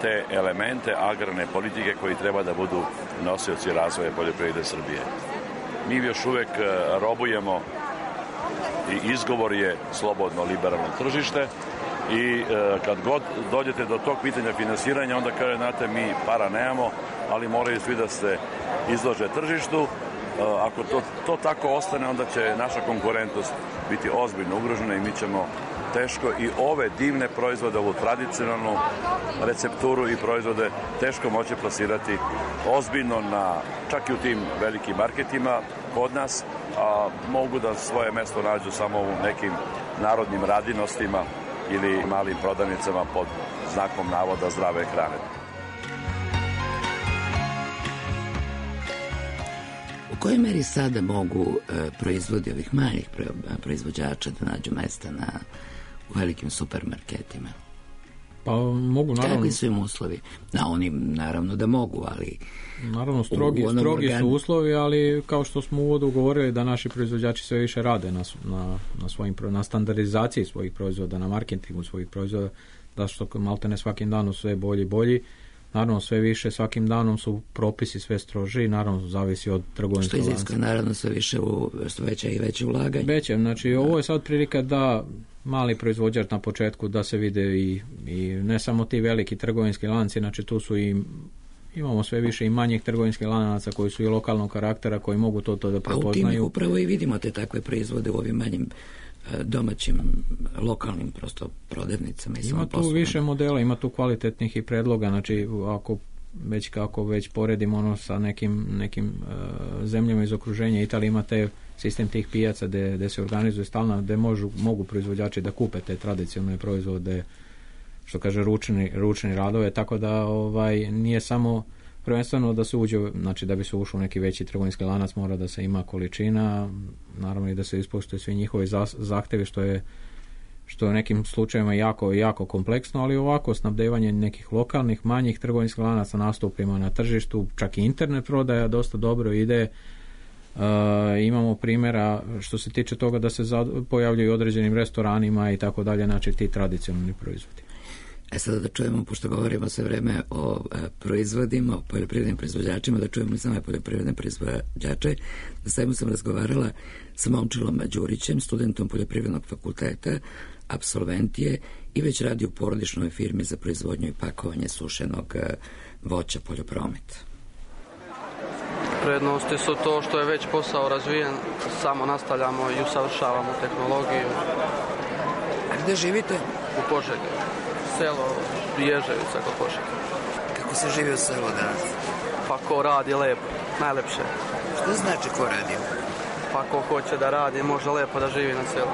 te elemente agrarne politike koji treba da budu nosioci razvoja poljoprivrede Srbije. Mi još uvek robujemo i izgovor je slobodno liberalno tržište i kad god dođete do tog pitanja finansiranja, onda kaže, znate, mi para nemamo, ali moraju svi da se izlože tržištu. Ako to tako ostane, onda će naša konkurentnost biti ozbiljno ugrožena i mi ćemo teško i ove divne proizvode, ovu tradicionalnu recepturu i proizvode teško moći plasirati ozbiljno čak i u tim velikim marketima kod nas, a mogu da svoje mesto nađu samo u nekim narodnim radinostima ili malim prodavnicama pod znakom navoda zdrave hrane. kojoj meri sada mogu proizvodi ovih manjih proizvođača da nađu mesta u velikim supermarketima? Pa mogu, naravno. Kakvi su im uslovi? Oni naravno da mogu, ali... Naravno, strogi su uslovi, ali kao što smo u uvodu govorili da naši proizvođači sve više rade na standardizaciji svojih proizvoda, na marketingu svojih proizvoda, da što malte ne svakim danom sve bolji i bolji. Naravno, sve više svakim danom su propisi sve stroži, naravno zavisi od trgovinskog lanca. Što iziskuje naravno sve više veće i veće ulaganje. Veće, znači ovo je sad prilika da mali proizvođač na početku da se vide i ne samo ti veliki trgovinski lanci, znači tu su imamo sve više i manjih trgovinskih lanaca koji su i lokalnog karaktera, koji mogu to da prepoznaju. A u tim upravo i vidimo te takve proizvode u ovim manjim domaćim, lokalnim prosto prodavnicama. Ima tu više modela, ima tu kvalitetnih i predloga, znači ako već poredimo sa nekim zemljama iz okruženja, Italija ima sistem tih pijaca gde se organizuje stalno, gde mogu proizvođači da kupe te tradicionalne proizvode, što kaže ručni radove, tako da nije samo prvenstveno da se uđe, znači da bi se ušao u neki veći trgovinski lanac mora da se ima količina, naravno i da se ispoštuje svi njihovi zahtevi, što je u nekim slučajevima jako kompleksno, ali ovako snabdevanje nekih lokalnih, manjih trgovinskih lanaca nastupima na tržištu, čak i internet prodaja dosta dobro ide. Imamo primjera što se tiče toga da se pojavljuju određenim restoranima i tako dalje, znači ti tradicionalni proizvodi. Sada da čujemo, pošto govorimo sve vreme o proizvodima, o poljoprivrednim proizvođačima, da čujemo i same poljoprivredne proizvođače. Na sajmu sam razgovarala sa Momčilom Đurićem, studentom Poljoprivrednog fakulteta, apsolvent je i već radi u porodičnoj firmi za proizvodnju i pakovanje sušenog voća Poljopromet. Prednosti su to što je već posao razvijen, samo nastavljamo i usavršavamo tehnologiju. A gde živite? U Požegi. Selo Ježevica kod Požege. Kako se živi u selu danas? Pa ko radi lepo, najlepše. Što znači ko radi? Pa ko hoće da radi, može lepo da živi na selu.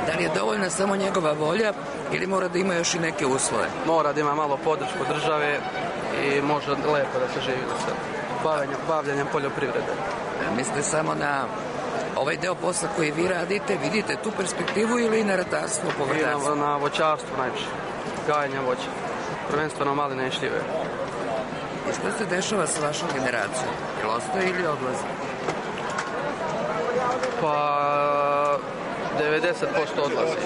Da li je dovoljna samo njegova volja ili mora da ima još i neke uslove? Mora da ima malo podršku države i može lepo da se živi na selu. Bavljanjem poljoprivrede. Mislite samo na ovaj deo posla koji vi radite, vidite tu perspektivu ili na ratarstvo, povrtarstvo? I na voćarstvu najviše, gajenje voća, prvenstveno maline i šljive. I što se dešava sa vašom generacijom? Jel ostaje ili odlazi? Pa 90% odlazi.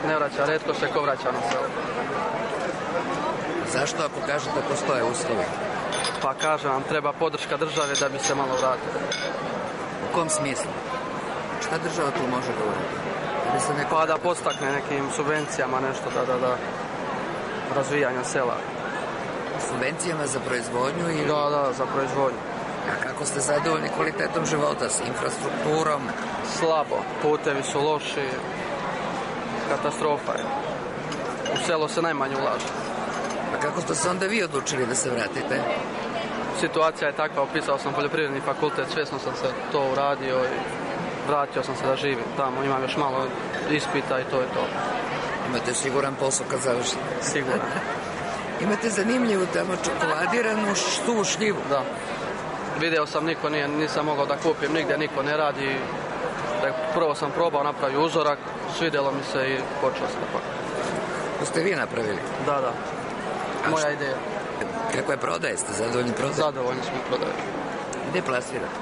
Ne vraća, retko se ko vraća na selo. Zašto ako kažete postoje uslovi? Pa kažem vam, treba podrška države da bi se malo vratilo. U kom smislu? Šta država tu može da uradi? Pa da podstakne nekim subvencijama nešto da razvijanja sela. Subvencijama za proizvodnju ili? Da, za proizvodnju. A kako ste zadovoljni kvalitetom života, s infrastrukturom? Slabo, putevi su loši, katastrofa je. U selo se najmanje ulaže. A kako ste se onda vi odlučili da se vratite? Situacija je takva, upisao sam poljoprivredni fakultet, svjesno sam se to uradio i vratio sam se da živim tamo, imam još malo ispita i to je to. Imate siguran posao kad završite? Siguran. Imate zanimljivu tamo čokoladiranu suvu šljivu? Da. Video sam, nisam mogao da kupim, nigdje niko ne radi. Prvo sam probao, napravio uzorak, svidjelo mi se i počeo sam da pakam. To ste vi napravili? Da. Moja ideja. Kako je prodaje? Ste zadovoljni prodaje? Zadovoljni smo prodaje. Gde plasirate?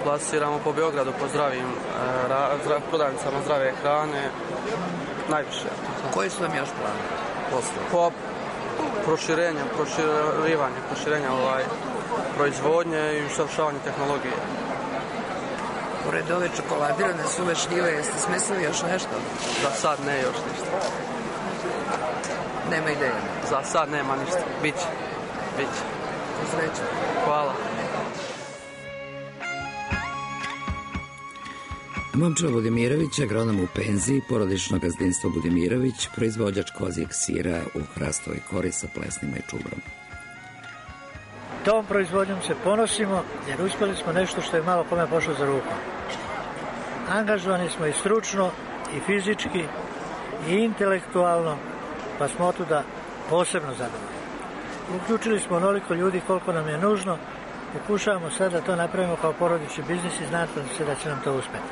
Plasiramo po Beogradu, po zdravim prodavnicama zdrave hrane, najviše. Koji su vam još plani? Po proširenje proizvodnje i usavršavanje tehnologije. Pored ove čokoladirane suve šljive, jeste smislili još nešto? Za sad ne još ništa. Nema ideja? Za sad nema ništa. Biće. Sreća. Hvala. Momčilo Budimirović, agronom u penziji, porodično gazdinstvo Budimirović, proizvođač kozijeg sira u Hrastovoj Kori sa plesnima i čubrom. Tom proizvodnjom se ponosimo jer uspjeli smo nešto što je malo kome pošlo za ruku. Angažovani smo i stručno, i fizički, i intelektualno, pa smo otuda posebno zadovoljni. Uključili smo onoliko ljudi koliko nam je nužno Pokušavamo sad da to napravimo kao porodični biznis i znate se da će nam to uspjeti.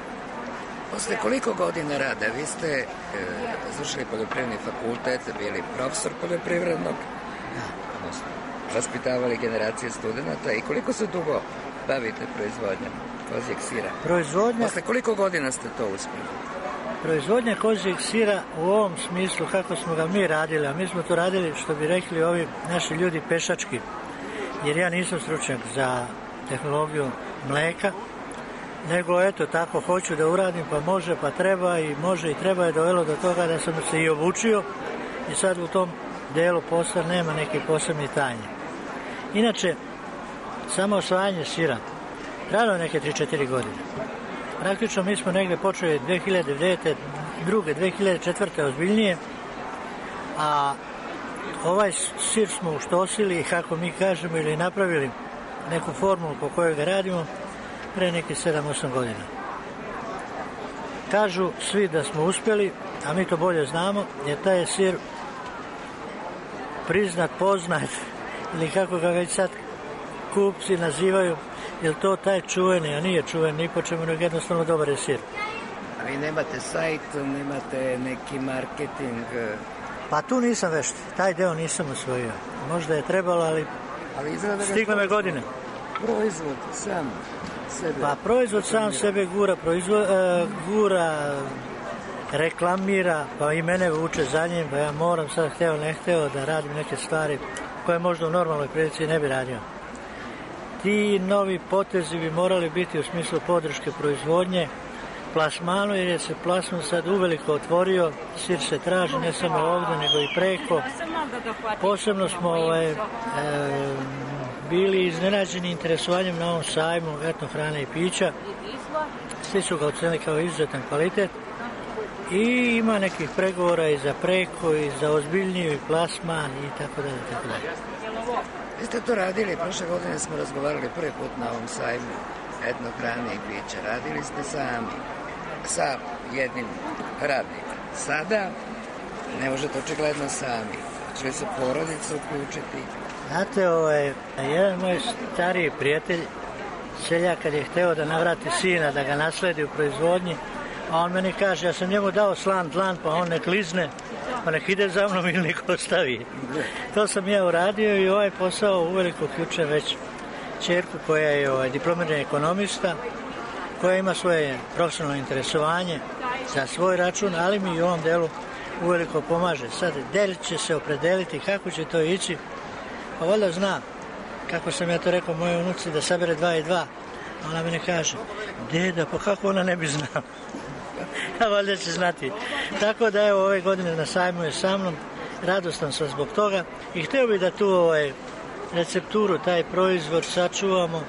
Posle koliko godina rada? Vi ste završili poljoprivredni fakultet, bili profesor poljoprivrednog, odnosno vaspitavali generacije studenta i koliko se dugo bavite proizvodnjom kozjeg sira? Posle koliko godina ste to uspjeli? Proizvodnja kozjeg sira u ovom smislu kako smo ga mi radili, a mi smo to radili, što bi rekli ovi naši ljudi, pešački, jer ja nisam stručnjak za tehnologiju mleka, nego eto tako hoću da uradim, pa može, pa treba i može i treba je dovelo do toga da sam se i obučio i sad u tom delu posla nema neke posebne tajne. Inače, samo osvajanje sira trajalo je neke 3-4 godine. Praktično mi smo negde počeli 2009. 2004. ozbiljnije, a ovaj sir smo uštosili, kako mi kažemo, ili napravili neku formulu po kojoj ga radimo pre neke 7-8 godina. Kažu svi da smo uspjeli, a mi to bolje znamo, jer taj je sir priznat, poznat, ili kako ga već sad kupci nazivaju, jer to taj čuveni, a nije čuven ni po čemu, nego jednostavno dobar je sir. A vi nemate sajt, nemate neki marketing? Pa tu nisam vešt, taj deo nisam osvojio. Možda je trebalo, ali stigle me godine. Proizvod sam sebe? Pa proizvod sam sebe gura, reklamira, pa i mene vuče za njim, pa ja moram sad, hteo ne hteo, da radim neke stvari koje možda u normalnoj prilici ne bi radio. Ti novi potezi bi morali biti u smislu podrške proizvodnje, plasmanu, jer je se plasman sad uveliko otvorio, sir se traži ne samo ovdje, nego i preko. Posebno smo bili iznenađeni interesovanjem na ovom sajmu etno hrane i pića. Svi su ga ocenili kao izuzetan kvalitet i ima nekih pregovora i za preko i za ozbiljniji plasman i tako dalje, tako dalje. Vi ste to radili, prošle godine smo razgovarali prvi put na ovom sajmu etno hrane i pića. Radili ste sami, sa jednim radnikom. Sada ne možete očigledno sami. Će li se porodica uključiti? Znate, jedan moj stariji prijatelj, seljak, kad je hteo da navrati sina, da ga nasledi u proizvodnji, a on meni kaže, ja sam njemu dao slan dlan, pa on nek lizne, pa nek ide za mnom ili nek ostavi. To sam ja uradio i ovaj posao uveliko uključujem već ćerku koja je diplomirani ekonomista, koja ima svoje profesionalno interesovanje za svoj račun, ali mi i u ovom delu uveliko pomaže. Sad, del će se opredeliti kako će to ići, pa valjda zna, kako sam ja to rekao mojoj unuci, da sabere 2 i 2, a ona meni kaže, deda, pa kako ona ne bi znala? A valjda će znati. Tako da evo, ove godine na sajmu je sa mnom, radostan sam zbog toga i htio bih da tu recepturu, taj proizvod sačuvamo,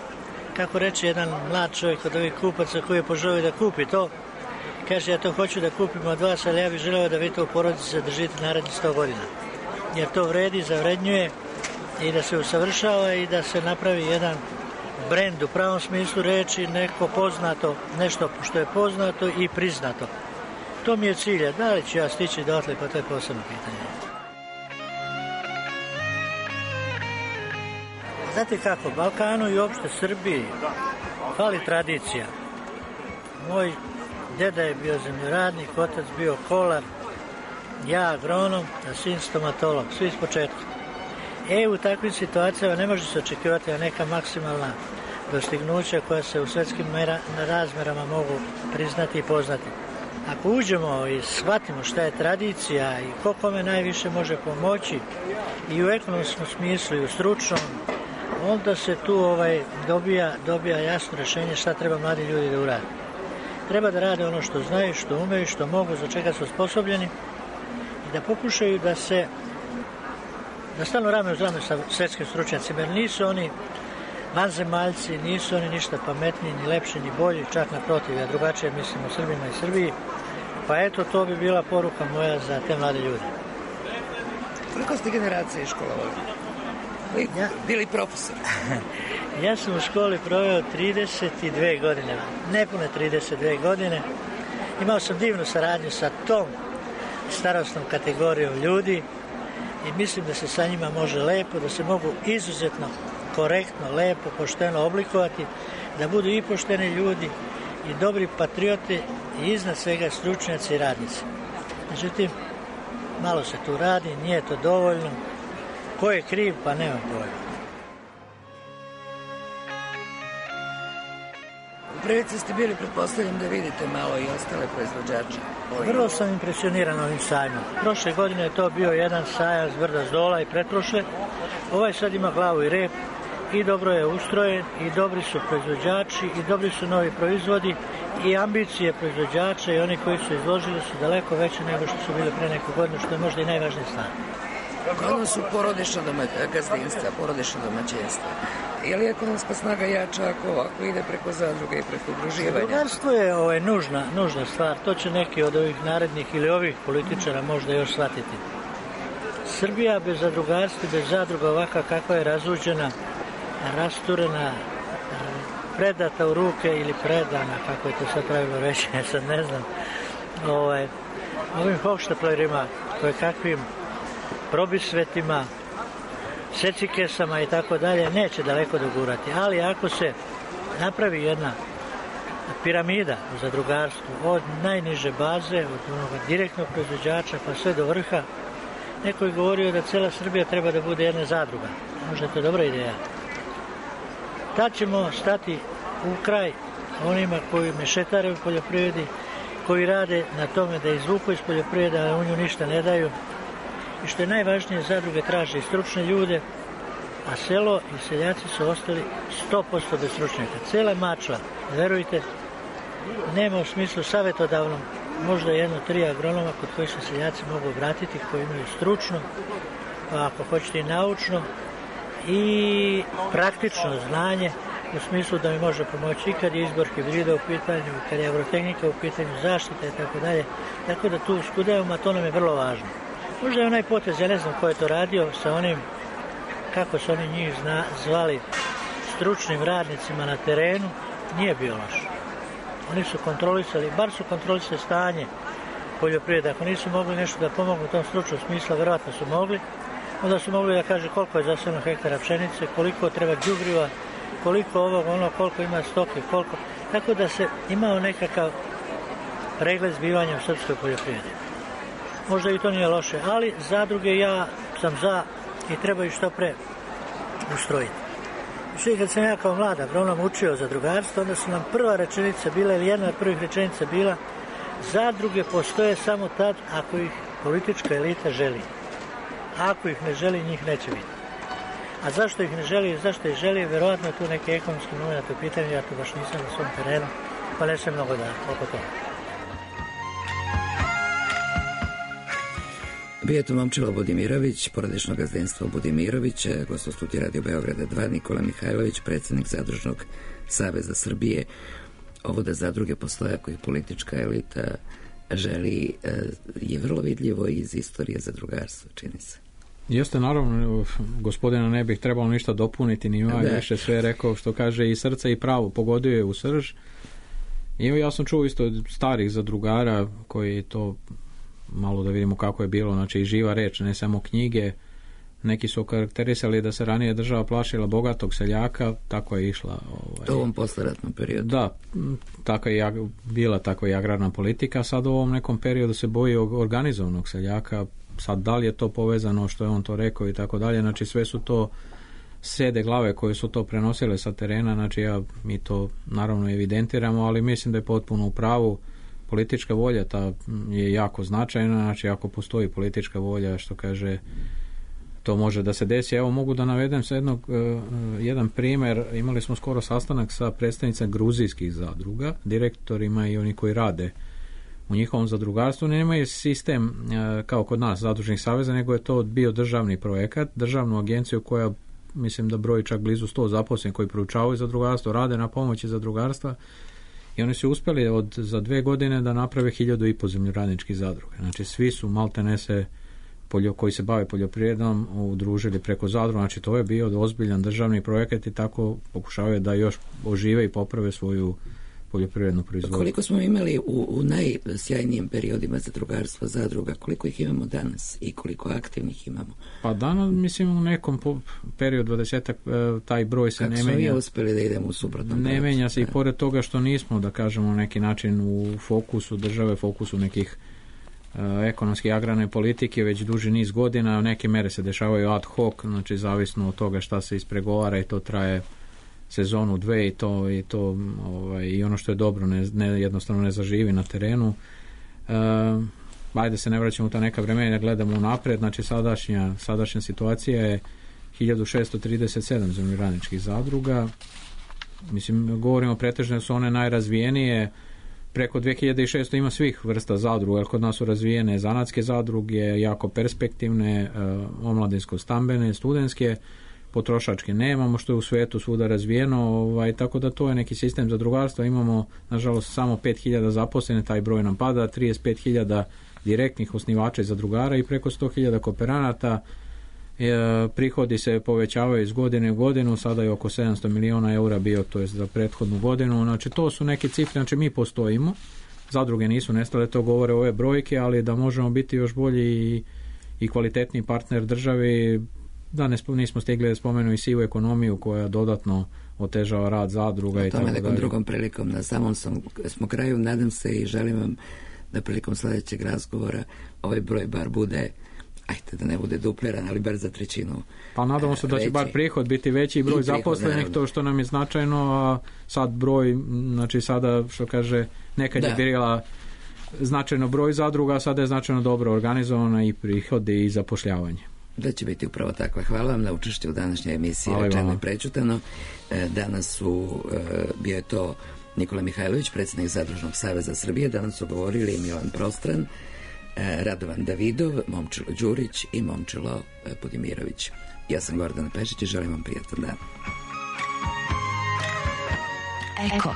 kako reče jedan mlad čovjek od ovih kupaca koji je poželio da kupi to. Kaže, ja to hoću da kupim od vas, ali ja bih želeo da vi to u porodici zadržite narednih 100 godina. Jer to vredi, zavrednjuje i da se usavršava i da se napravi jedan brend u pravom smislu reči, neko poznato, nešto što je poznato i priznato. To mi je cilj, da li ću ja stići dotle, pa to je posebno pitanje. Znate kako, Balkanu i uopšte Srbiji fali tradicija. Moj deda je bio zemljoradnik, otac bio kolar, ja agronom, a sin stomatolog, svi s početka. U takvim situacijama ne može se očekivati neka maksimalna dostignuća koja se u svetskim razmerama mogu priznati i poznati. Ako uđemo i shvatimo šta je tradicija i ko kome najviše može pomoći i u ekonomskom smislu i u stručnom, onda se tu dobija jasno rješenje šta treba mladi ljudi da urade. Treba da rade ono što znaju, što umeju, što mogu, za čega su osposobljeni i da pokušaju da stalno rame uz rame sa svetskim stručnjacima, jer nisu oni vanzemaljci, nisu oni ništa pametniji, ni lepši, ni bolji, čak naprotiv, ja drugačije mislim o Srbima i Srbiji, pa eto, to bi bila poruka moja za te mlade ljude. Koliko ste generacije školovali? Bili profesor? Ja sam u školi proveo 32 godine, nepune 32 godine. Imao sam divnu saradnju sa tom starosnom kategorijom ljudi i mislim da se sa njima može lepo, da se mogu izuzetno korektno, lepo, pošteno oblikovati, da budu i pošteni ljudi i dobri patriote i iznad svega stručnjaci i radnici. Međutim, malo se tu radi, nije to dovoljno. Ko je kriv, pa nema pojma. U prilici ste bili, pretpostavljam da vidite malo i ostale proizvođače. Vrlo sam impresioniran ovim sajmom. Prošle godine je to bio jedan sajam s brda s dola i pretprošle. Ovaj sad ima glavu i rep i dobro je ustrojen i dobri su proizvođači i dobri su novi proizvodi i ambicije proizvođača i oni koji su izložili su daleko veće nego što su bile pre neku godinu, što je možda i najvažnije stvar. Ono su porodična gazdinstva, porodična domaćinstva. Je li ekonomska snaga jača ako ide preko zadruga i preko udruživanja? Zadrugarstvo je nužna stvar. To će neki od ovih narednih ili ovih političara možda još shvatiti. Srbija bez zadrugarstva, bez zadruga ovakva kakva je razuđena, rasturena, predata u ruke ili predana, kako je to sad pravilno reći, ja sad ne znam, ovim hohštaplerima, koje kakvim probisvetima, secikesama i tako dalje, neće daleko dogurati. Ali ako se napravi jedna piramida u zadrugarstvu od najniže baze, od onog direktnog proizvođača pa sve do vrha, neko je govorio da cela Srbija treba da bude jedna zadruga. Možda je to dobra ideja. Tad ćemo stati u kraj onima koji mešetare u poljoprivredi, koji rade na tome da izvuku iz poljoprivrede, a u nju ništa ne daju. I što je najvažnije, zadruge traže i stručne ljude, a selo i seljaci su ostali 100% bez stručnjaka. Cela Mačva, verujte, nema u smislu savjetodavnom, možda 1-3 agronoma kod kojih se seljaci mogu obratiti, koji imaju stručno, pa ako hoćete i naučno, i praktično znanje, u smislu da mi može pomoći i kad je izbor hibrida u pitanju, kad je agrotehnika u pitanju, zaštita i tako dalje. Tako da tu skudevamo, a to nam je vrlo važno. Možda je onaj potez, ja ne znam ko je to radio, sa onim, kako su oni njih zvali, stručnim radnicima na terenu, nije bio loš. Oni su kontrolisali, bar su kontrolisali stanje poljoprivrede. Ako nisu mogli nešto da pomognu u tom stručnom smislu, verovatno su mogli. Onda su mogli da kaže koliko je zasebno hektara pšenice, koliko treba đubriva, koliko ovog, koliko ima stoke, koliko. Tako da se imao nekakav pregled zbivanja u srpskoj poljoprivredi. Možda i to nije loše, ali zadruge ja sam za i treba ih što pre ustrojiti. Znači, kad sam ja kao mlad agronom učio zadrugarstvo, onda su nam prva rečenica bila, ili jedna od prvih rečenica bila, zadruge postoje samo tad ako ih politička elita želi. Ako ih ne želi, njih neće biti. A zašto ih ne želi, zašto ih želi, verovatno je tu neki ekonomski moment u pitanju, ja to baš nisam na svom terenu, pa ne sam mnogo da oko toga. Bio je to Momčilo Budimirović, porodično gazdinstvo Budimirović, gost u studiju Radio Beograda 2, Nikola Mihajlović, predsjednik Zadružnog saveza Srbije. Ovo da zadruge postoje ako ih politička elita želi je vrlo vidljivo iz istorije zadrugarstva, čini se. Jeste, naravno, gospodina ne bih trebalo ništa dopuniti, ni više sve rekao što kaže i srce i pravo, pogodio je u srž. I ja sam čuo isto od starih zadrugara koji to, malo da vidimo kako je bilo, znači i živa reč, ne samo knjige. Neki su karakterisali da se ranije država plašila bogatog seljaka, tako je išla. U ovom posleratnom periodu. Da, tako je bila tako i agrarna politika, sad u ovom nekom periodu se boji organizovanog seljaka, sad da li je to povezano što je on to rekao i tako dalje, znači sve su to sede glave koje su to prenosile sa terena, znači mi to naravno evidentiramo, ali mislim da je potpuno u pravu. Politička volja ta je jako značajna, znači ako postoji politička volja, što kaže, to može da se desi. Evo mogu da navedem sa jedan primjer. Imali smo skoro sastanak sa predstavnicama gruzijskih zadruga, direktorima i oni koji rade u njihovom zadrugarstvu. Nemaju sistem kao kod nas zadružnih saveza, nego je to bio državni projekat, državnu agenciju koja mislim da broji čak blizu 100 zaposlenih koji proučavaju zadrugarstvo, rade na pomoći zadrugarstva i oni su uspjeli za 2 godine da naprave 1500 zemljoradničkih zadruga. Znači svi su maltene se koji se bave poljoprivredom udružili preko zadruga, znači to je bio ozbiljan državni projekat i tako pokušavaju da još ožive i poprave svoju poljoprivrednu proizvodnju. Koliko smo imali u najsjajnijim periodima zadrugarstva, zadruga, koliko ih imamo danas i koliko aktivnih imamo? Pa danas, mislim, u nekom periodu 20 taj broj se ne menja. Kako smo i uspjeli da idemo u suprotnom? Ne menja se i pored toga što nismo, da kažemo, na neki način u fokusu države, fokusu nekih ekonomske i agrarne politike već duži niz godina. Neke mere se dešavaju ad hoc, znači zavisno od toga šta se ispregovara i to traje sezonu, dve i to i ono što je dobro jednostavno ne zaživi na terenu. Ajde se ne vraćamo u ta neka vremena, gledamo unapred, znači sadašnja situacija je 1637 zemljoradničkih zadruga. Mislim, govorimo pretežno su one najrazvijenije, preko 2600 ima svih vrsta zadruga, jer kod nas su razvijene zanatske zadruge, jako perspektivne, omladinsko-stambene, studentske, potrošačke nemamo, što je u svetu svuda razvijeno, tako da to je neki sistem zadrugarstva. Imamo, nažalost, samo 5000 zaposlenih, taj broj nam pada, 35.000 direktnih osnivača i zadrugara i preko 100.000 kooperanata. Prihodi se povećavaju iz godine u godinu, sada je oko 700 miliona eura bio, to je za prethodnu godinu. Znači, to su neke cifre, znači mi postojimo, zadruge nisu nestale, to govore ove brojke, ali da možemo biti još bolji i kvalitetni partner državi. Da nismo stigli da spomenu i sivu ekonomiju koja dodatno otežava rad zadruga i tako dalje. O tome nekom drugom prilikom, na samom smo kraju, nadam se i želim vam da prilikom sljedećeg razgovora ovaj broj bar bude, da ne bude dupliran, ali bar za trećinu. Pa nadamo se da će bar prihod biti veći i broj zaposlenih, to što nam je značajno, a sad broj, znači sada što kaže, nekad je bila značajno broj zadruga, a sada je značajno dobro organizovano i prihodi i zapošljavanje. Da će biti upravo takva. Hvala vam na učešću u današnjoj emisiji Rečeno i prečutano. Danas bio je to Nikola Mihajlović, predsjednik Zadružnog saveza Srbije. Danas su govorili Milan Prostran, Radovan Davidov, Momčilo Đurić i Momčilo Budimirović. Ja sam Gordana Pešić i želim vam prijatan dan. Eko.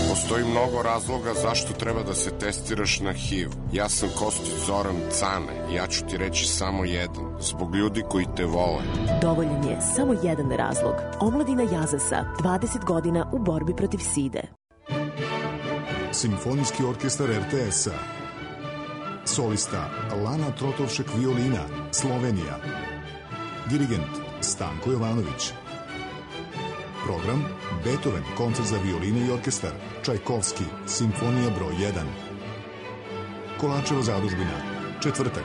Postoji mnogo razloga zašto treba da se testiraš na HIV. Ja sam Kostić Zoran Cane. Ja ću ti reći samo jedan. Zbog ljudi koji te vole. Dovoljan je samo jedan razlog. Omladina Jazasa, 20 godina u borbi protiv side. Simfonijski orkestar RTS-a. Solista Lana Trotovšek violina, Slovenija. Dirigent Stanko Jovanović. Program Beethoven, koncert za violinu i orkestar, Čajkovski, simfonija broj 1. Kolačeva zadužbina, četvrtak,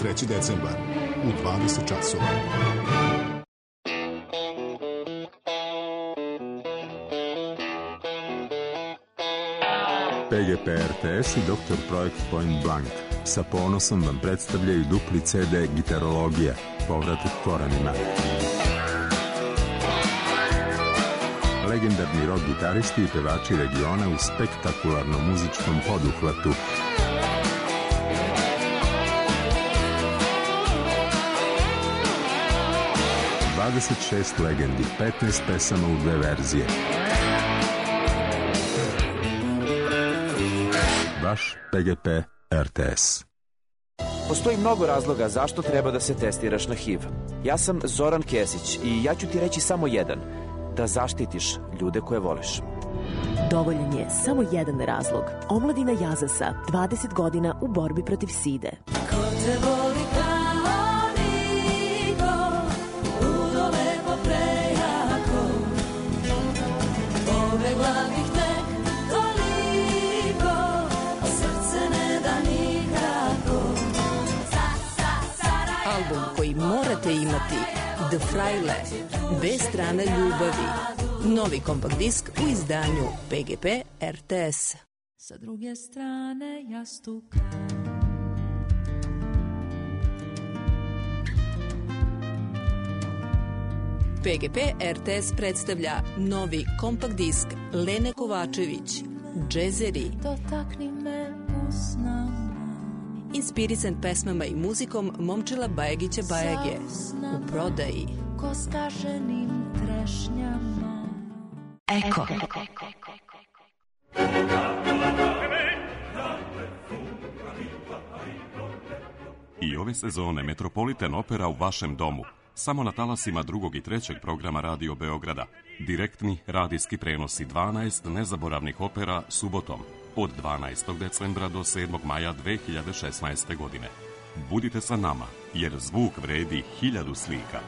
3. decembar, u 20 časova. PGP RTS i Dr. Projekt Point Blank sa ponosom vam predstavljaju dupli CD Gitarologija, povratak korenima. Legendarni rock gitaristi i pevači regiona u spektakularnom muzičkom poduhvatu. ...26 legendi, 15 pesama u 2 verzije. Vaš PGP RTS. Postoji mnogo razloga zašto treba da se testiraš na HIV. Ja sam Zoran Kesić i ja ću ti reći samo jedan. Da zaštitiš ljude koje voliš. Dovoljan je samo jedan razlog. Omladina Jazasa, 20 godina u borbi protiv side. Ko te voli kao niko, ludo lepo prejako, pobegla bih tek toliko, a srce ne da nikako. Album koji morate imati, The Fraile, dve strane ljubavi. Novi kompakt disk u izdanju PGP RTS. Sa druge strane jastuka. PGP RTS predstavlja novi kompakt disk Lene Kovačević, Džezeri. Dotakni me usnama. Inspirisan pesmama i muzikom Momčila Bajagića Bajage. U prodaji. Ko skaženim trešnjama. Eko. I ove sezone Metropolitan Opera u vašem domu. samo na talasima drugog i trećeg programa Radio Beograda. Direktni radijski prenosi 12 nezaboravnih opera subotom od 12. decembra do 7. maja 2016. godine. Budite sa nama, jer zvuk vredi 1000 slika.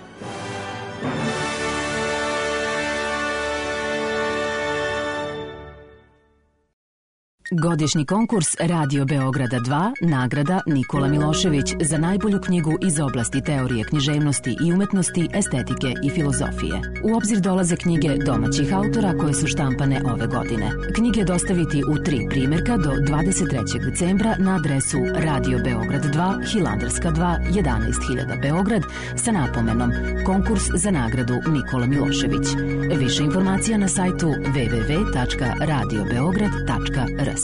Godišnji konkurs Radio Beograda 2, nagrada Nikola Milošević za najbolju knjigu iz oblasti teorije književnosti i umetnosti, estetike i filozofije. U obzir dolaze knjige domaćih autora koje su štampane ove godine. Knjige dostaviti u 3 primjerka do 23. decembra na adresu Radio Beograd 2, Hilandarska 2, 11.000 Beograd sa napomenom Konkurs za nagradu Nikola Milošević. Više informacija na sajtu www.radiobeograd.rs.